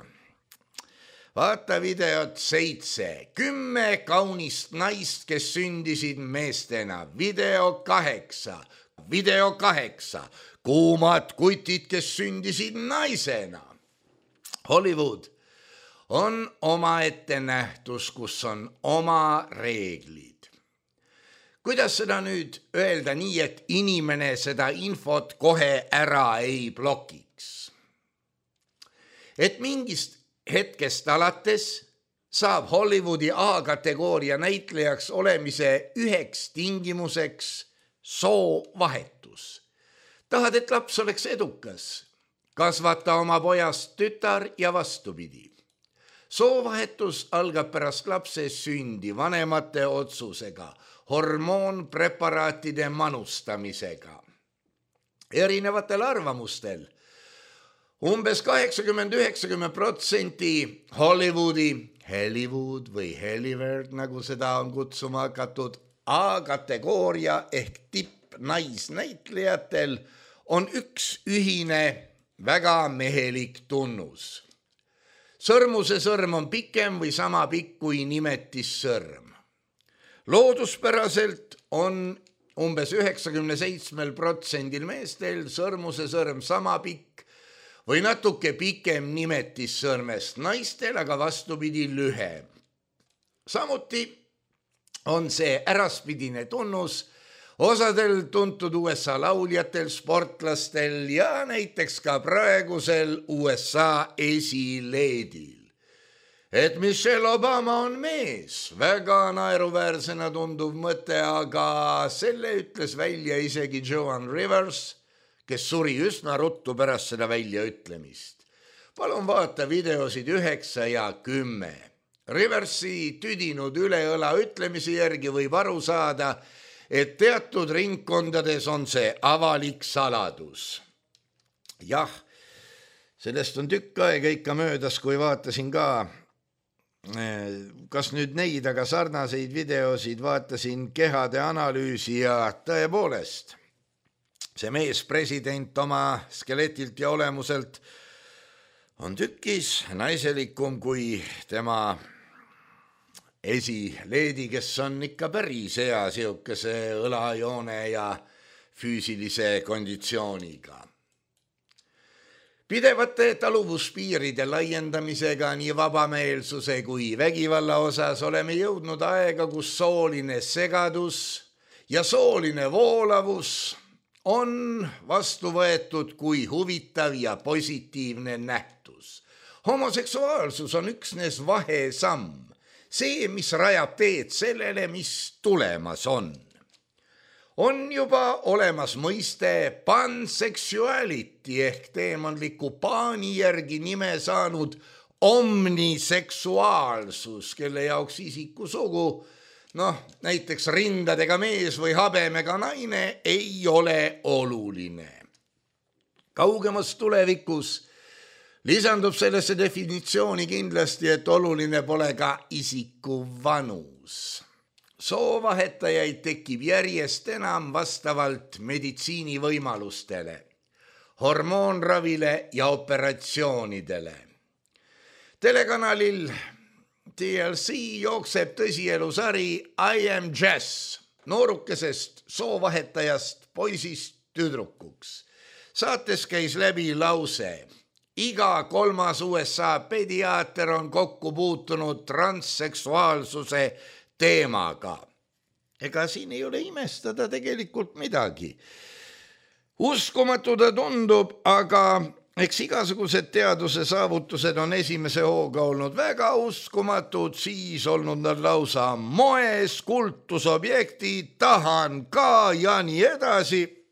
Vaata videot 7. 10 kaunist naist, kes sündisid meestena. Video 8. Video 8. Kuumad kutid, kes sündisid naisena. Hollywood on omaette nähtus, kus on oma reeglid. Kuidas seda nüüd öelda nii, et inimene seda infot kohe ära ei blokiks? Et mingist hetkest alates saab Hollywoodi A-kategooria näitlejaks olemise üheks tingimuseks soovahetus. Tahad, et laps oleks edukas? Kasvata oma pojast tütar ja vastupidi. Soovahetus algab pärast lapse sündi vanemate otsusega, hormoonpreparaatide manustamisega. Erinevatel arvamustel umbes 80-90% Hollywood või Hollywood, nagu seda on kutsuma hakatud, A-kategooria ehk tippnaisnäitlejatel on üks ühine väga mehelik tunnus. Sõrmuse sõrm on pikem või sama pikk kui nimetissõrm. Looduspäraselt on umbes 97% meestel sõrmuse sõrm sama pikk või natuke pikem nimetissõrmest, naistel aga vastupidi lühem. Samuti on see äraspidine tunnus osadel tuntud USA lauljatel, sportlastel ja näiteks ka praegusel USA esileedil. Et Michelle Obama on mees, väga naeruväärsena tunduv mõte, aga selle ütles välja isegi Joan Rivers, kes suri üsna ruttu pärast seda väljaütlemist. Palun vaata videosid 9 ja 10. Riversi tüdinud üleõla ütlemise järgi võib aru saada, et teatud ringkondades on see avalik saladus. Jah, sellest on tükk aega ikka möödas, kui vaatasin ka, kas nüüd neid, aga sarnaseid videosid vaatasin kehade analüüsi ja tõepoolest, see mees president oma skeletilt ja olemuselt on tükis naiselikum kui tema esileedi, kes on ikka päris hea siukese õlajoone ja füüsilise konditsiooniga. Pidevate taluvuspiiride laiendamisega nii vabameelsuse kui vägivalla osas oleme jõudnud aega, kus sooline segadus ja sooline voolavus on vastu võetud kui huvitav ja positiivne nähtus. Homoseksuaalsus on üksnes vahesamm. See, mis rajab teed sellele, mis tulemas on. On juba olemas mõiste pansexuality ehk teemantliku paani järgi nime saanud omniseksuaalsus, kelle jaoks isikusugu, näiteks rindadega mees või habemega naine ei ole oluline. Kaugemas tulevikus lisandub sellesse definitsiooni kindlasti, et oluline pole ka isiku vanus. Soovahetajaid tekib järjest enam vastavalt meditsiinivõimalustele, hormoonravile ja operatsioonidele. Telekanalil TLC jookseb tõsielusari I Am Jazz, noorukesest soovahetajast poisist tüdrukuks. Saates käis läbi lause: iga 3. USA pediaater on kokku puutunud transseksuaalsuse teemaga. Ega siin ei ole imestada tegelikult midagi. Uskumatu ta tundub, aga eks igasugused teaduse saavutused on esimese hooga olnud väga uskumatud, siis olnud nad lausa moes, kultusobjektid, tahan ka ja nii edasi.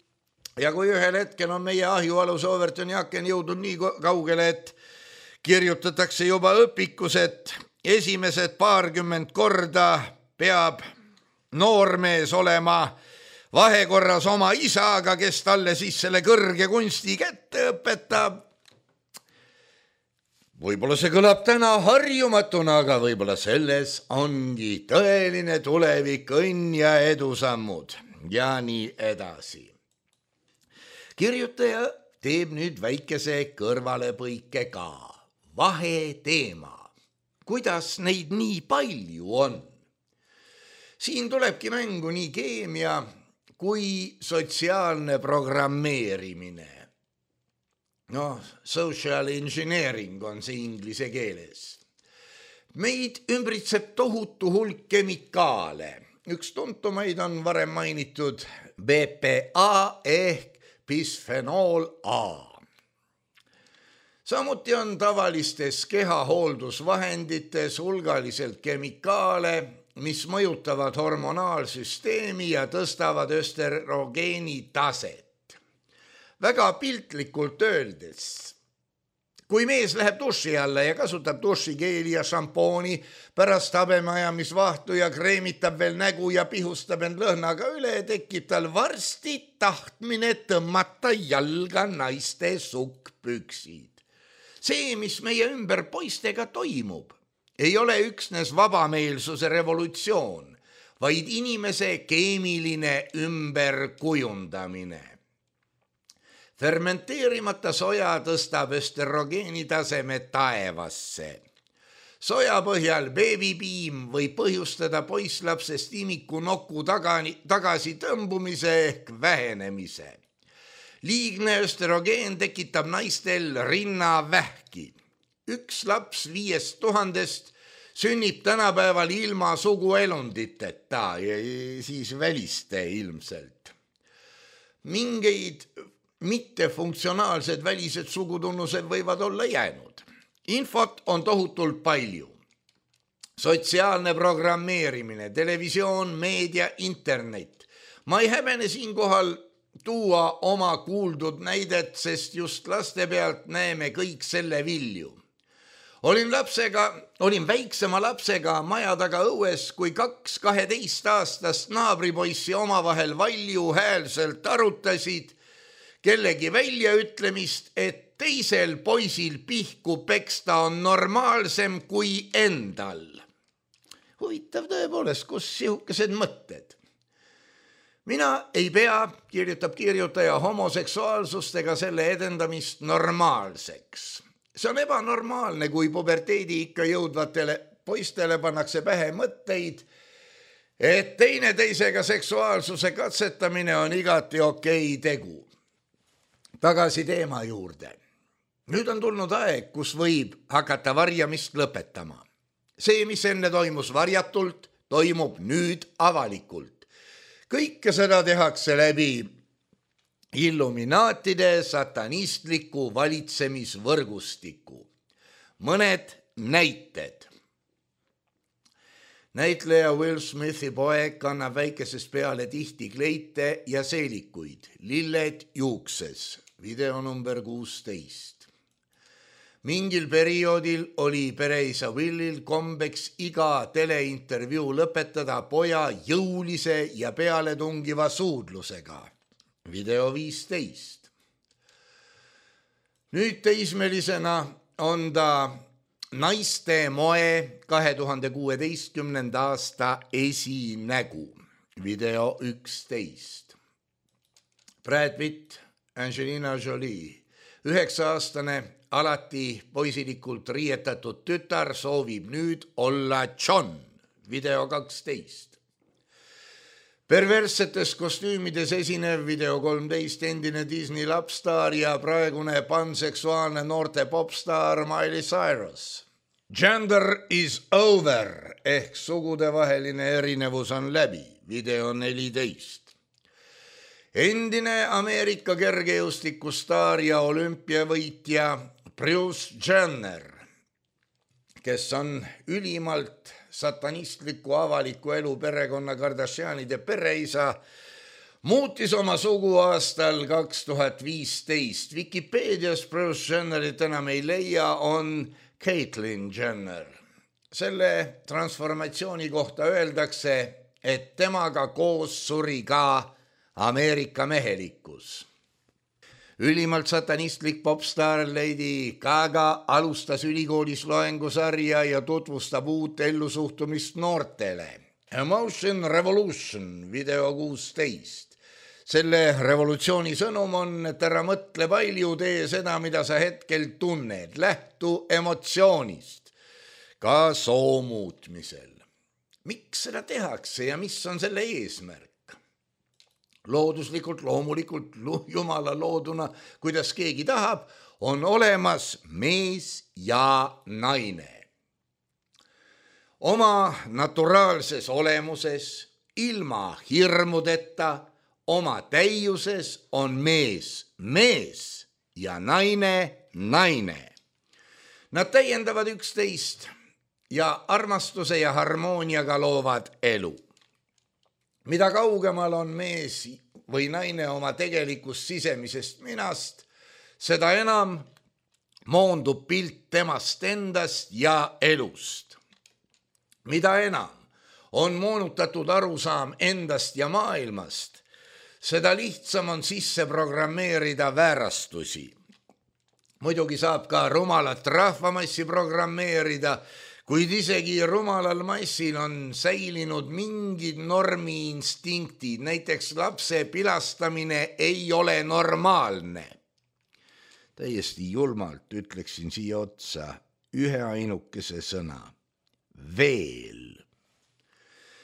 Ja kui ühel hetkel on meie ahjualus Overtoni aken jõudnud nii kaugele, et kirjutatakse juba õpikus, et esimesed 20 korda peab noormees olema vahekorras oma isaga, kes talle siis selle kõrge kunsti kätte õpetab. Võib-olla see kõlab täna harjumatuna, aga võib-olla selles ongi tõeline tulevik, õnn ja edusammud ja nii edasi. Kirjutaja teeb nüüd väikese kõrvalepõike ka. Vaheteema. Kuidas neid nii palju on? Siin tulebki mängu nii keemia kui sotsiaalne programmeerimine. Social engineering on see inglise keeles. Meid ümbritseb tohutu hulk kemikaale. Üks tuntumaid on varem mainitud BPA ehk bisfenool A. Samuti on tavalistes kehahooldusvahendites hulgaliselt kemikaale, mis mõjutavad hormonaalsüsteemi ja tõstavad östrogeeni taset. Väga piltlikult öeldes, kui mees läheb duši alla ja kasutab dušikeeli ja šampooni, pärast habemeajamisvahtu ja kreemitab veel nägu ja pihustab end lõhnaga üle, tekib tal varsti tahtmine tõmmata jalga naiste sukkpüksid. See, mis meie ümber poistega toimub, ei ole üksnes vabameelsuse revolutsioon, vaid inimese keemiline ümberkujundamine. Fermenteerimata soja tõstab östrogeeni taseme taevasse. Soja põhjal beebipiim võib põhjustada poisslapsest imiku noku tagasi tõmbumise ehk vähenemise. Liigne östrogeen tekitab naistel rinnavähki. Üks laps 5000 sünnib tänapäeval ilma suguelunditeta ja siis väliste ilmselt. Mingeid mittefunktsionaalsed välised sugutunnused võivad olla jäänud. Infot on tohutult palju. Sotsiaalne programmeerimine, televisioon, meedia, internet. Ma ei häbene siinkohal tuua oma kuuldud näidet, sest just laste pealt näeme kõik selle vilju. Olin väiksema lapsega maja taga õues, kui 2 12-aastast naabripoissi omavahel valju häälselt arutasid kellegi väljaütlemist, et teisel poisil pihku peksta on normaalsem kui endal. Huvitav tõepoolest, kus sihukesed mõtted? Mina ei pea, kirjutab kirjutaja, homoseksuaalsust ega selle edendamist normaalseks. See on ebanormaalne, kui puberteedi ikka jõudvatele poistele pannakse pähe mõtteid, et teineteisega seksuaalsuse katsetamine on igati okei tegu. Tagasi teema juurde. Nüüd on tulnud aeg, kus võib hakata varjamist lõpetama. See, mis enne toimus varjatult, toimub nüüd avalikult. Kõike seda tehakse läbi illuminaatide satanistliku valitsemisvõrgustiku. Mõned näited. Näitleja Will Smithi poeg kannab väikesest peale tihti kleite ja seelikuid, lilled juukses. Video number 16. Mingil perioodil oli pereisa Willil kombeks iga teleintervjuu lõpetada poja jõulise ja pealetungiva suudlusega. Video 15. Nüüd teismelisena on ta naiste moe 2016. aasta esinägu. Video 11. Brad Pitt, Angelina Jolie, 9-aastane, alati poisilikult riietatud tütar soovib nüüd olla John. Video 12. Perverssetes kostüümides esinev video 13 endine Disney lapsstaar ja praegune panseksuaalne noorte popstaar Miley Cyrus. Gender is over ehk sugudevaheline erinevus on läbi. Video 14. Endine Ameerika kergejõustikustaar ja olümpiavõitja Bruce Jenner, kes on ülimalt satanistliku avaliku elu perekonna Kardashianide pereisa, muutis oma sugu aastal 2015. Wikipeedias Bruce Jennerit enam ei leia, on Caitlyn Jenner. Selle transformatsiooni kohta öeldakse, et temaga koos suri ka Ameerika mehelikkus. Ülimalt satanistlik popstaar Lady Gaga alustas ülikoolis loengusarja ja tutvustab uut ellusuhtumist noortele. Emotion Revolution, video 16. Selle revolutsiooni sõnum on, et ära mõtle palju, tee seda, mida sa hetkel tunned. Lähtu emotsioonist, ka soo muutmisel. Miks seda tehakse ja mis on selle eesmärk? looduslikult, loomulikult jumala looduna, kuidas keegi tahab, on olemas mees ja naine. Oma naturaalses olemuses, ilma hirmudeta, oma täiuses on mees mees ja naine naine. Nad täiendavad üksteist ja armastuse ja harmooniaga loovad elu. Mida kaugemal on mees või naine oma tegelikust sisemisest minast, seda enam moondub pilt temast endast ja elust. Mida enam on moonutatud arusaam endast ja maailmast, seda lihtsam on sisse programmeerida väärastusi. Muidugi saab ka rumalat rahvamassi programmeerida, kuid isegi rumalal massil on säilinud mingid normiinstinktid, näiteks lapse pilastamine ei ole normaalne. Täiesti julmalt ütleksin siia otsa ühe ainukese sõna. Veel.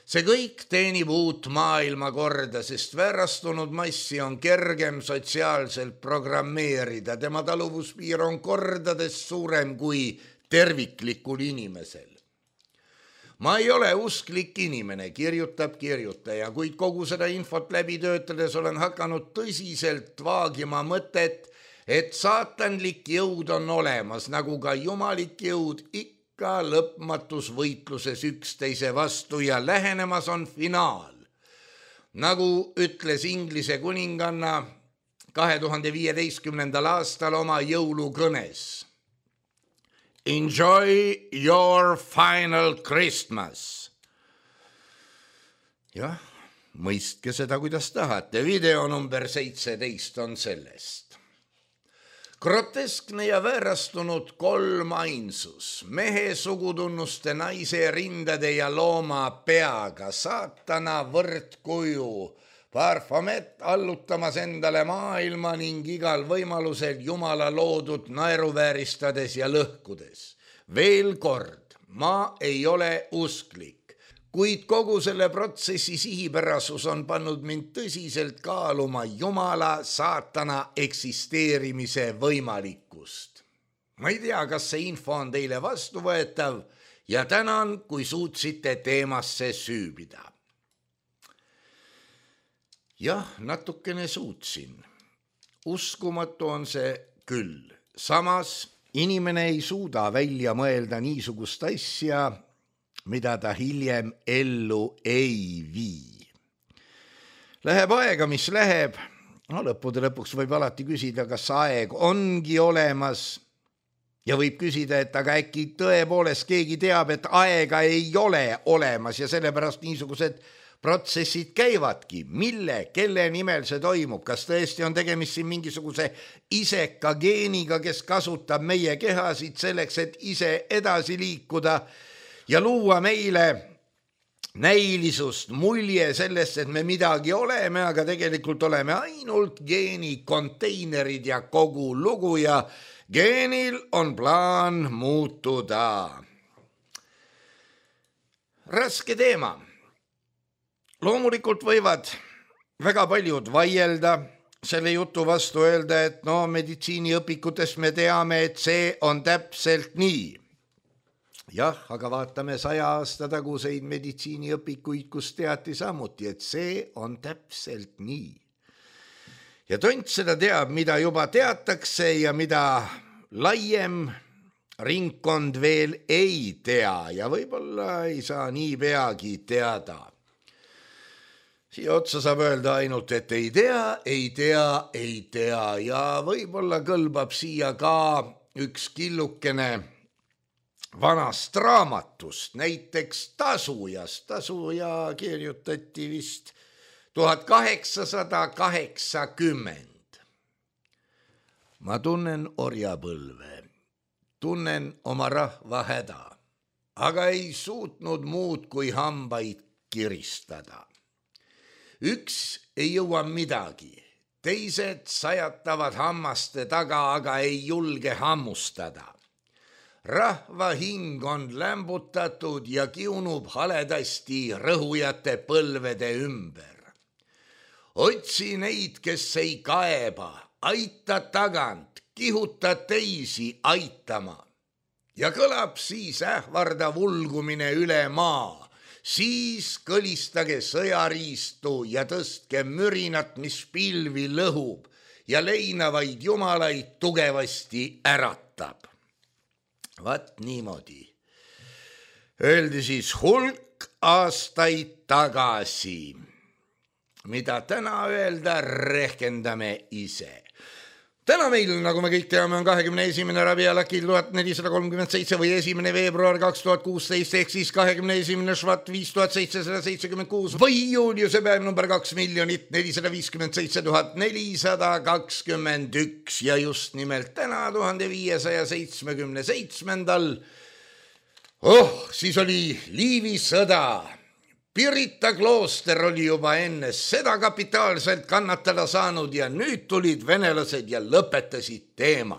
See kõik teenib uut maailmakorda, sest väärastunud massi on kergem sotsiaalselt programmeerida. Tema taluvuspiir on kordades suurem kui terviklikul inimesel. Ma ei ole usklik inimene, kirjutab kirjutaja, kuid kogu seda infot läbi töötades olen hakanud tõsiselt vaagima mõtet, et saatanlik jõud on olemas, nagu ka jumalik jõud ikka lõpmatus võitluses üksteise vastu ja lähenemas on finaal. Nagu ütles Inglise kuninganna 2015. aastal oma jõulukõnes. Enjoy your final Christmas. Jah, mõistke seda, kuidas tahate. Video number 17 on sellest. Groteskne ja väärastunud kolmainsus, mehe sugutunnuste, naise rindade ja looma peaga, saatana võrdkuju, Parfamet allutamas endale maailma ning igal võimalusel jumala loodud naeruvääristades ja lõhkudes. Veel kord, ma ei ole usklik. Kuid kogu selle protsessi sihipärasus on pannud mind tõsiselt kaaluma jumala saatana eksisteerimise võimalikkust. Ma ei tea, kas see info on teile vastuvõetav ja tänan, kui suutsite teemasse süübida. Jah, natukene suutsin. Uskumatu on see küll. Samas inimene ei suuda välja mõelda niisugust asja, mida ta hiljem ellu ei vii. Läheb aega, mis läheb. Lõppude lõpuks võib alati küsida, kas aeg ongi olemas. Ja võib küsida, et aga äkki tõepoolest keegi teab, et aega ei ole olemas ja sellepärast niisugused protsessid käivadki. Mille, kelle nimel see toimub? Kas tõesti on tegemist siin mingisuguse iseka geeniga, kes kasutab meie kehasid selleks, et ise edasi liikuda ja luua meile näilisust, mulje sellest, et me midagi oleme, aga tegelikult oleme ainult geenikonteinerid ja kogu lugu ja geenil on plaan muutuda. Raske teema. Loomulikult võivad väga paljud vaielda selle jutu vastu, öelda, et meditsiiniõpikutes me teame, et see on täpselt nii. Jah, aga vaatame 100 aasta taguseid meditsiiniõpikuid, kus teati samuti, et see on täpselt nii. Ja tont seda teab, mida juba teatakse ja mida laiem ringkond veel ei tea ja võib-olla ei saa nii peagi teada. Siia otsa saab öelda ainult, et ei tea ja võib-olla kõlbab siia ka üks killukene vanast raamatust, näiteks Tasujast. Tasuja kirjutati vist 1880. Ma tunnen orjapõlve, tunnen oma rahva häda, aga ei suutnud muud kui hambaid kiristada. Üks ei jõua midagi, teised sajatavad hammaste taga, aga ei julge hammustada. Rahva hing on lämbutatud ja kiunub haledasti rõhujate põlvede ümber. otsi neid, kes ei kaeba, aita tagant, kihuta teisi aitama. Ja kõlab siis ähvardav ulgumine üle maa. Siis kõlistage sõjariistu ja tõstke mürinat, mis pilvi lõhub ja leinavaid jumalaid tugevasti äratab. Vaat niimoodi. Öeldi siis hulk aastaid tagasi. Mida täna öelda, rehkendame ise. Täna meil, nagu me kõik teame, on 21. Rabiul Akil 1437 või 1. veebruar 2016 ehk siis 21. Švat 5776 või juuliuse päev number 2,457,421 ja just nimelt täna 1577. Siis oli Liivi sõda. Pirita klooster oli juba enne seda kapitaalselt kannatada saanud ja nüüd tulid venelased ja lõpetasid teema.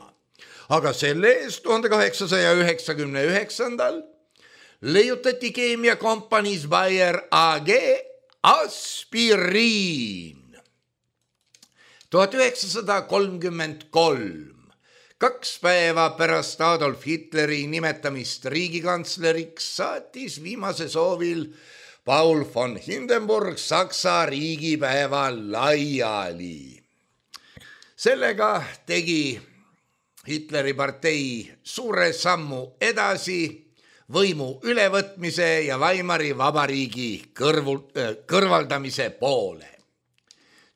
Aga selle eest 1899. leiutati keemiakompaniis Bayer AG aspiriin. 1933. 2 päeva pärast Adolf Hitleri nimetamist riigikantsleriks saatis viimase soovil Paul von Hindenburg Saksa riigipäeva laiali. Sellega tegi Hitleri partei suure sammu edasi võimu ülevõtmise ja Weimari vabariigi kõrvaldamise poole.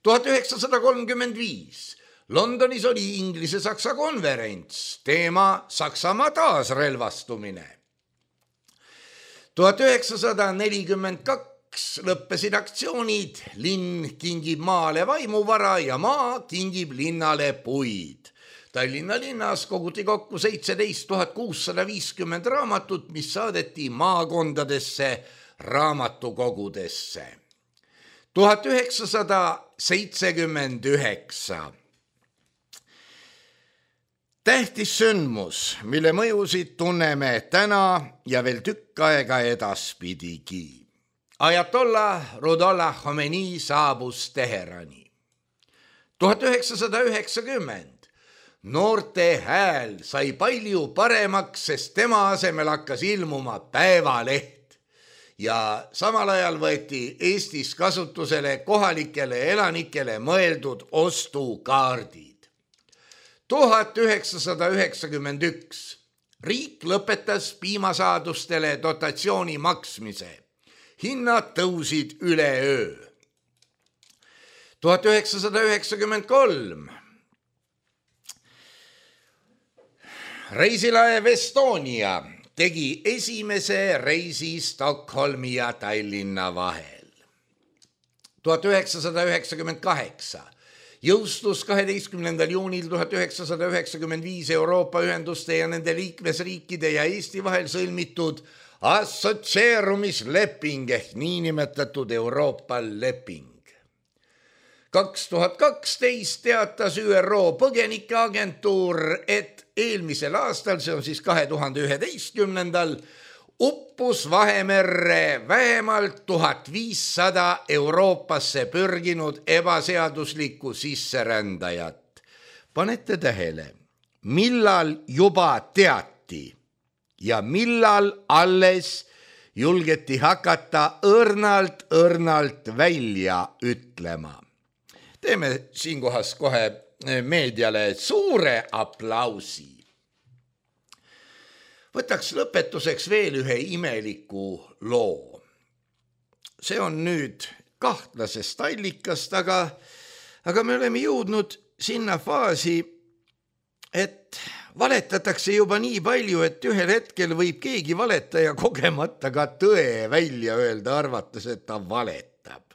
1935. Londonis oli Inglise-Saksa konverents, teema Saksamaa taasrelvastumine. 1942 lõppesid aktsioonid, linn kingib maale vaimuvara ja maa kingib linnale puid. Tallinna linnas koguti kokku 17 650 raamatut, mis saadeti maakondadesse raamatukogudesse. 1979. Tähtis sündmus, mille mõjusid tunneme täna ja veel tükk aega edaspidigi. Ajatollah Ruhollah Khomeini saabus Teherani. 1990. Noorte hääl sai palju paremaks, sest tema asemel hakkas ilmuma Päevaleht ja samal ajal võeti Eestis kasutusele kohalikele elanikele mõeldud ostukaardid. 1991. Riik lõpetas piimasaadustele dotatsiooni maksmise. Hinnad tõusid üleöö. 1993. Reisilaev Estonia tegi esimese reisi Stockholmi ja Tallinna vahel. 1998. Jõustus 12. juunil 1995 Euroopa ühenduste ja nende liikmesriikide ja Eesti vahel sõlmitud assotsieerumisleping ehk niinimetatud Euroopa leping. 2012 teatas ÜRO põgenikeagentuur, et eelmisel aastal, see on siis 2011. Uppus Vahemerre vähemalt 1500 Euroopasse pürginud ebaseaduslikku sisserändajat. Panete tähele, millal juba teati ja millal alles julgeti hakata õrnalt välja ütlema. Teeme siinkohas kohe meediale suure aplausi. Võtaks lõpetuseks veel ühe imeliku loo. See on nüüd kahtlasest allikast, aga me oleme jõudnud sinna faasi, et valetatakse juba nii palju, et ühel hetkel võib keegi valetaja kogemata ka tõe välja öelda, arvates, et ta valetab.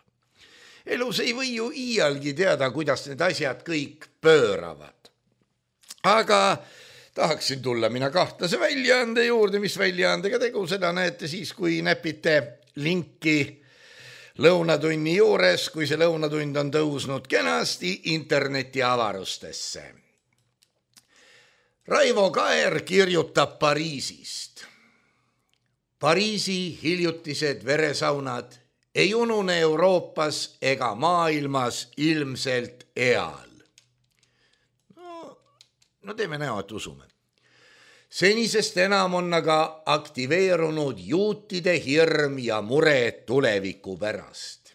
Elus ei või ju iialgi teada, kuidas need asjad kõik pööravad. Aga tahaksin tulla mina kahtlase väljaande juurde, mis väljaandega tegu, seda näete siis, kui näpite linki lõunatunni juures, kui see lõunatund on tõusnud kenasti interneti avarustesse. Raivo Kaer kirjutab Pariisist. Pariisi hiljutised veresaunad ei unune Euroopas ega maailmas ilmselt eal. No teeme näo, et usume. Senisest enam on aga aktiveerunud juutide hirm ja mure tuleviku pärast.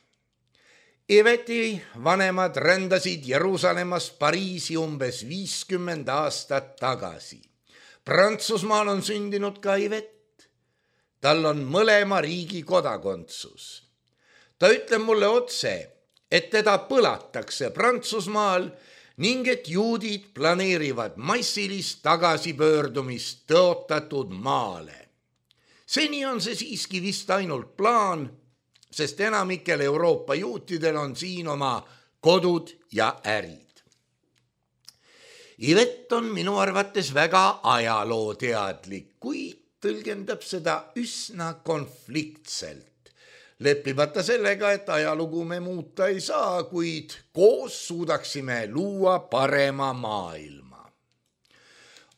Iveti vanemad rändasid Jeruusalemmast Pariisi umbes 50 aastat tagasi. Prantsusmaal on sündinud ka Ivet. Tal on mõlema riigi kodakondsus. Ta ütleb mulle otse, et teda põlatakse Prantsusmaal ning et juudid planeerivad massilist tagasipöördumist tõotatud maale. Seni on see siiski vist ainult plaan, sest enamikel Euroopa juutidel on siin oma kodud ja ärid. Ivet on minu arvates väga ajalooteadlik, kuid tõlgendab seda üsna konfliktselt. Leppimata sellega, et ajalugu me muuta ei saa, kuid koos suudaksime luua parema maailma.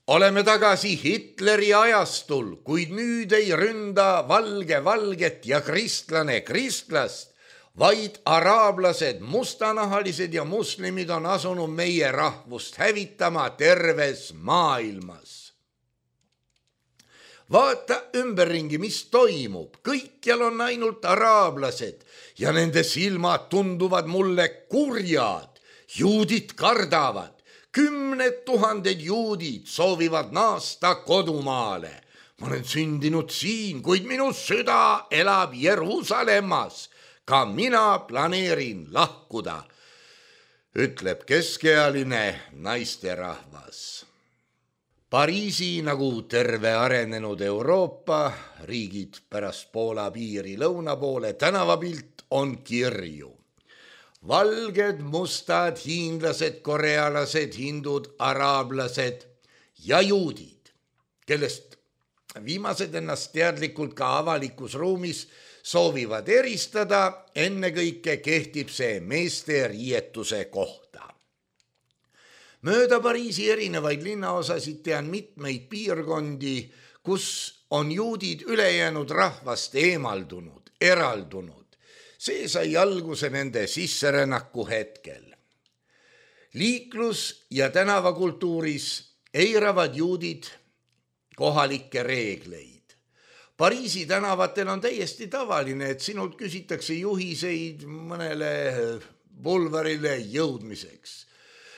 Oleme tagasi Hitleri ajastul, kuid nüüd ei ründa valge valget ja kristlane kristlast, vaid araablased, mustanahalised ja muslimid on asunud meie rahvust hävitama terves maailmas. Vaata ümberringi, mis toimub. Kõikjal on ainult araablased ja nende silmad tunduvad mulle kurjad. Juudid kardavad. 10 000 juudid soovivad naasta kodumaale. Ma olen sündinud siin, kuid minu süda elab Jeruusalemmas. Ka mina planeerin lahkuda, ütleb keskealine naisterahvas. Pariisi nagu terve arenenud Euroopa riigid pärast Poola piiri lõuna poole tänavapilt on kirju. Valged, mustad, hiinlased, korealased, hindud, araablased ja juudid, kellest viimased ennast teadlikult ka avalikus ruumis soovivad eristada, ennekõike kehtib see meeste riietuse kohta. Mööda Pariisi erinevaid linnaosasid tean mitmeid piirkondi, kus on juudid ülejäänud rahvast eemaldunud, eraldunud. See sai alguse nende sisserännaku hetkel. Liiklus- ja tänavakultuuris eiravad juudid kohalikke reegleid. Pariisi tänavatel on täiesti tavaline, et sinult küsitakse juhiseid mõnele bulvarile jõudmiseks.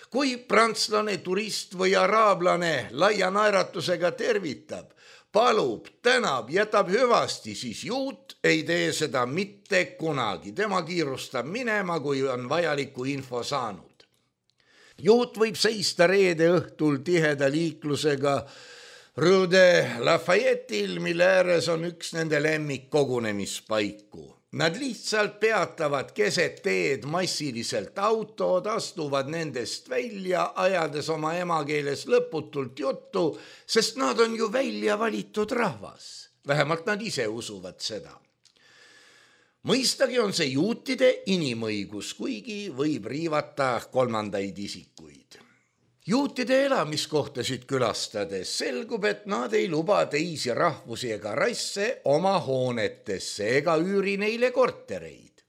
Kui prantslane, turist või araablane laia naeratusega tervitab, palub, tänab, jätab hüvasti, siis juut ei tee seda mitte kunagi. Tema kiirustab minema, kui on vajaliku info saanud. Juut võib seista reede õhtul tiheda liiklusega Rue de Lafayette'il, mille ääres on üks nende lemmikkogunemispaiku. Nad lihtsalt peatavad keset teed massiliselt autod, astuvad nendest välja, ajades oma emakeeles lõputult juttu, sest nad on ju välja valitud rahvas. Vähemalt nad ise usuvad seda. Mõistagi on see juutide inimõigus, kuigi võib riivata kolmandaid isikuid. Juutide elamiskohtasid külastades selgub, et nad ei luba teisi rahvusi ega rasse oma hoonetesse ega üüri neile kortereid.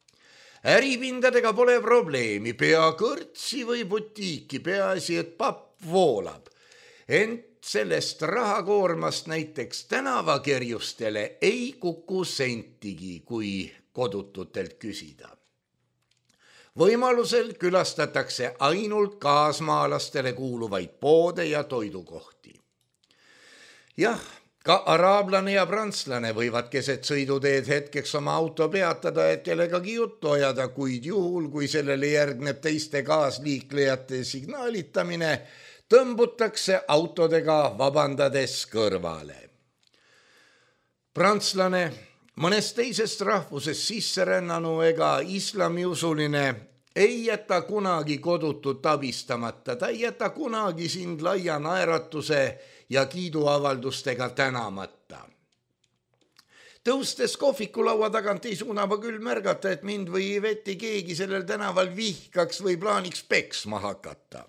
Äripindadega pole probleemi, pea kõrtsi või butiiki, peaasi, et papp voolab. Ent sellest rahakoormast näiteks tänavakerjustele ei kuku sentigi, kui kodututelt küsida. Võimalusel külastatakse ainult kaasmaalastele kuuluvaid poode ja toidukohti. Jah, ka araablane ja prantslane võivad keset sõiduteed hetkeks oma auto peatada, et kellegagi juttu ajada, kuid juhul, kui sellele järgneb teiste kaasliiklejate signaalitamine, tõmbutakse autodega vabandades kõrvale. Prantslane, mõnest teisest rahvusest sisserännanu ega islamiusuline ei jäta kunagi kodutut abistamata, ta ei jäta kunagi sind laia naeratuse ja kiiduavaldustega tänamata. Tõustes kohvikulaua tagant ei suuna ma küll märgata, et mind või Iveti keegi sellel tänaval vihkaks või plaaniks peksma hakata.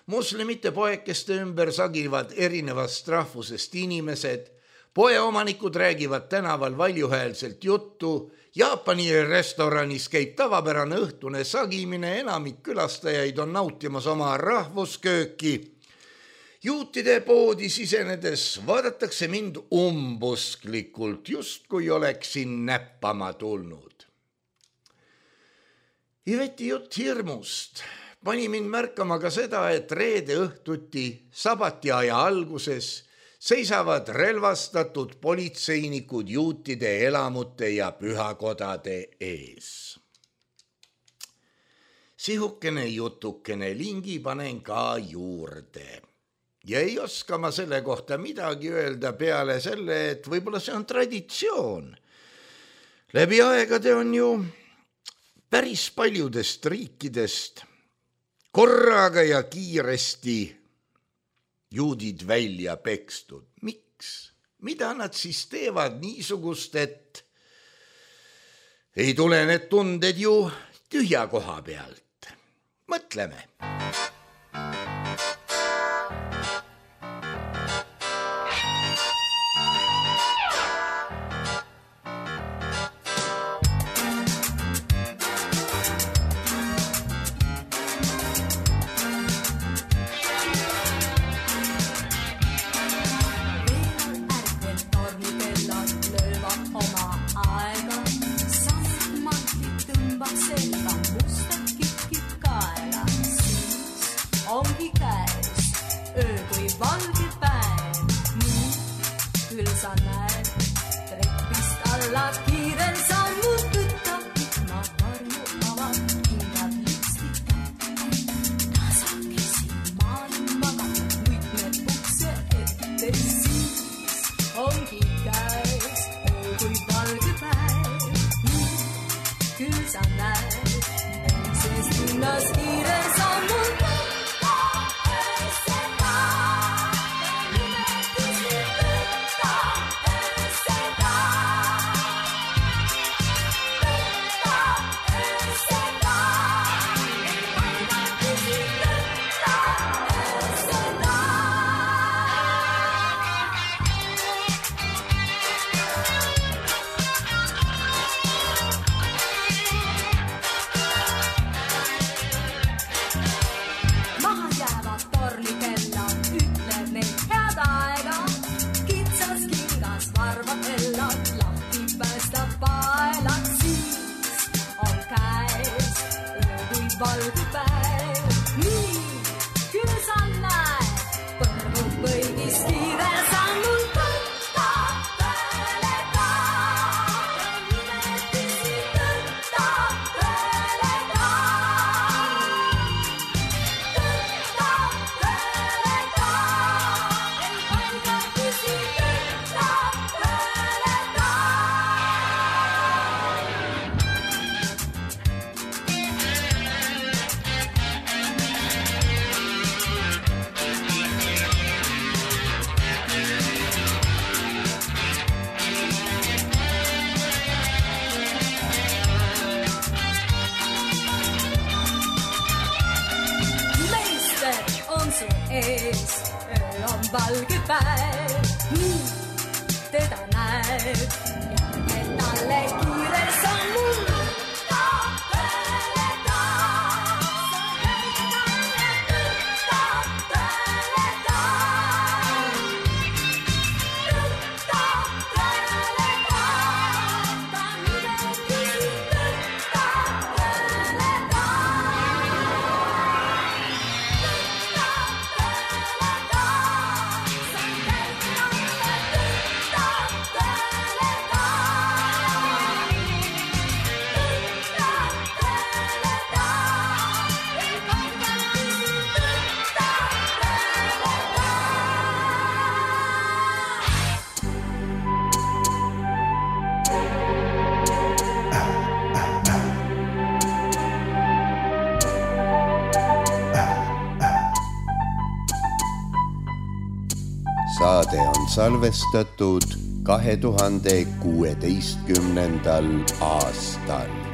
Muslimite poekeste ümber sagivad erinevast rahvusest inimesed, Poeomanikud räägivad tänaval valjuhäälselt juttu. Jaapani restoranis käib tavapärane õhtune sagimine, enamik külastajaid on nautimas oma rahvuskööki. Juutide poodi sisenedes vaadatakse mind umbusklikult, just kui oleksin näppama tulnud. Iveti jutt hirmust pani mind märkama ka seda, et reede õhtuti sabatiaja alguses seisavad relvastatud politseinikud juutide elamute ja pühakodade ees. Sihukene jutukene lingi panen ka juurde. Ja ei oska ma selle kohta midagi öelda peale selle, et võib-olla see on traditsioon. Läbi aegade on ju päris paljudest riikidest korraga ja kiiresti juudid välja pekstud. Miks? Mida nad siis teevad niisugust, et ei tule need tunded ju tühja koha pealt? Mõtleme. valge päev, nii teda näeb ja talle kiire sammul. Saade on salvestatud 2016. aastal.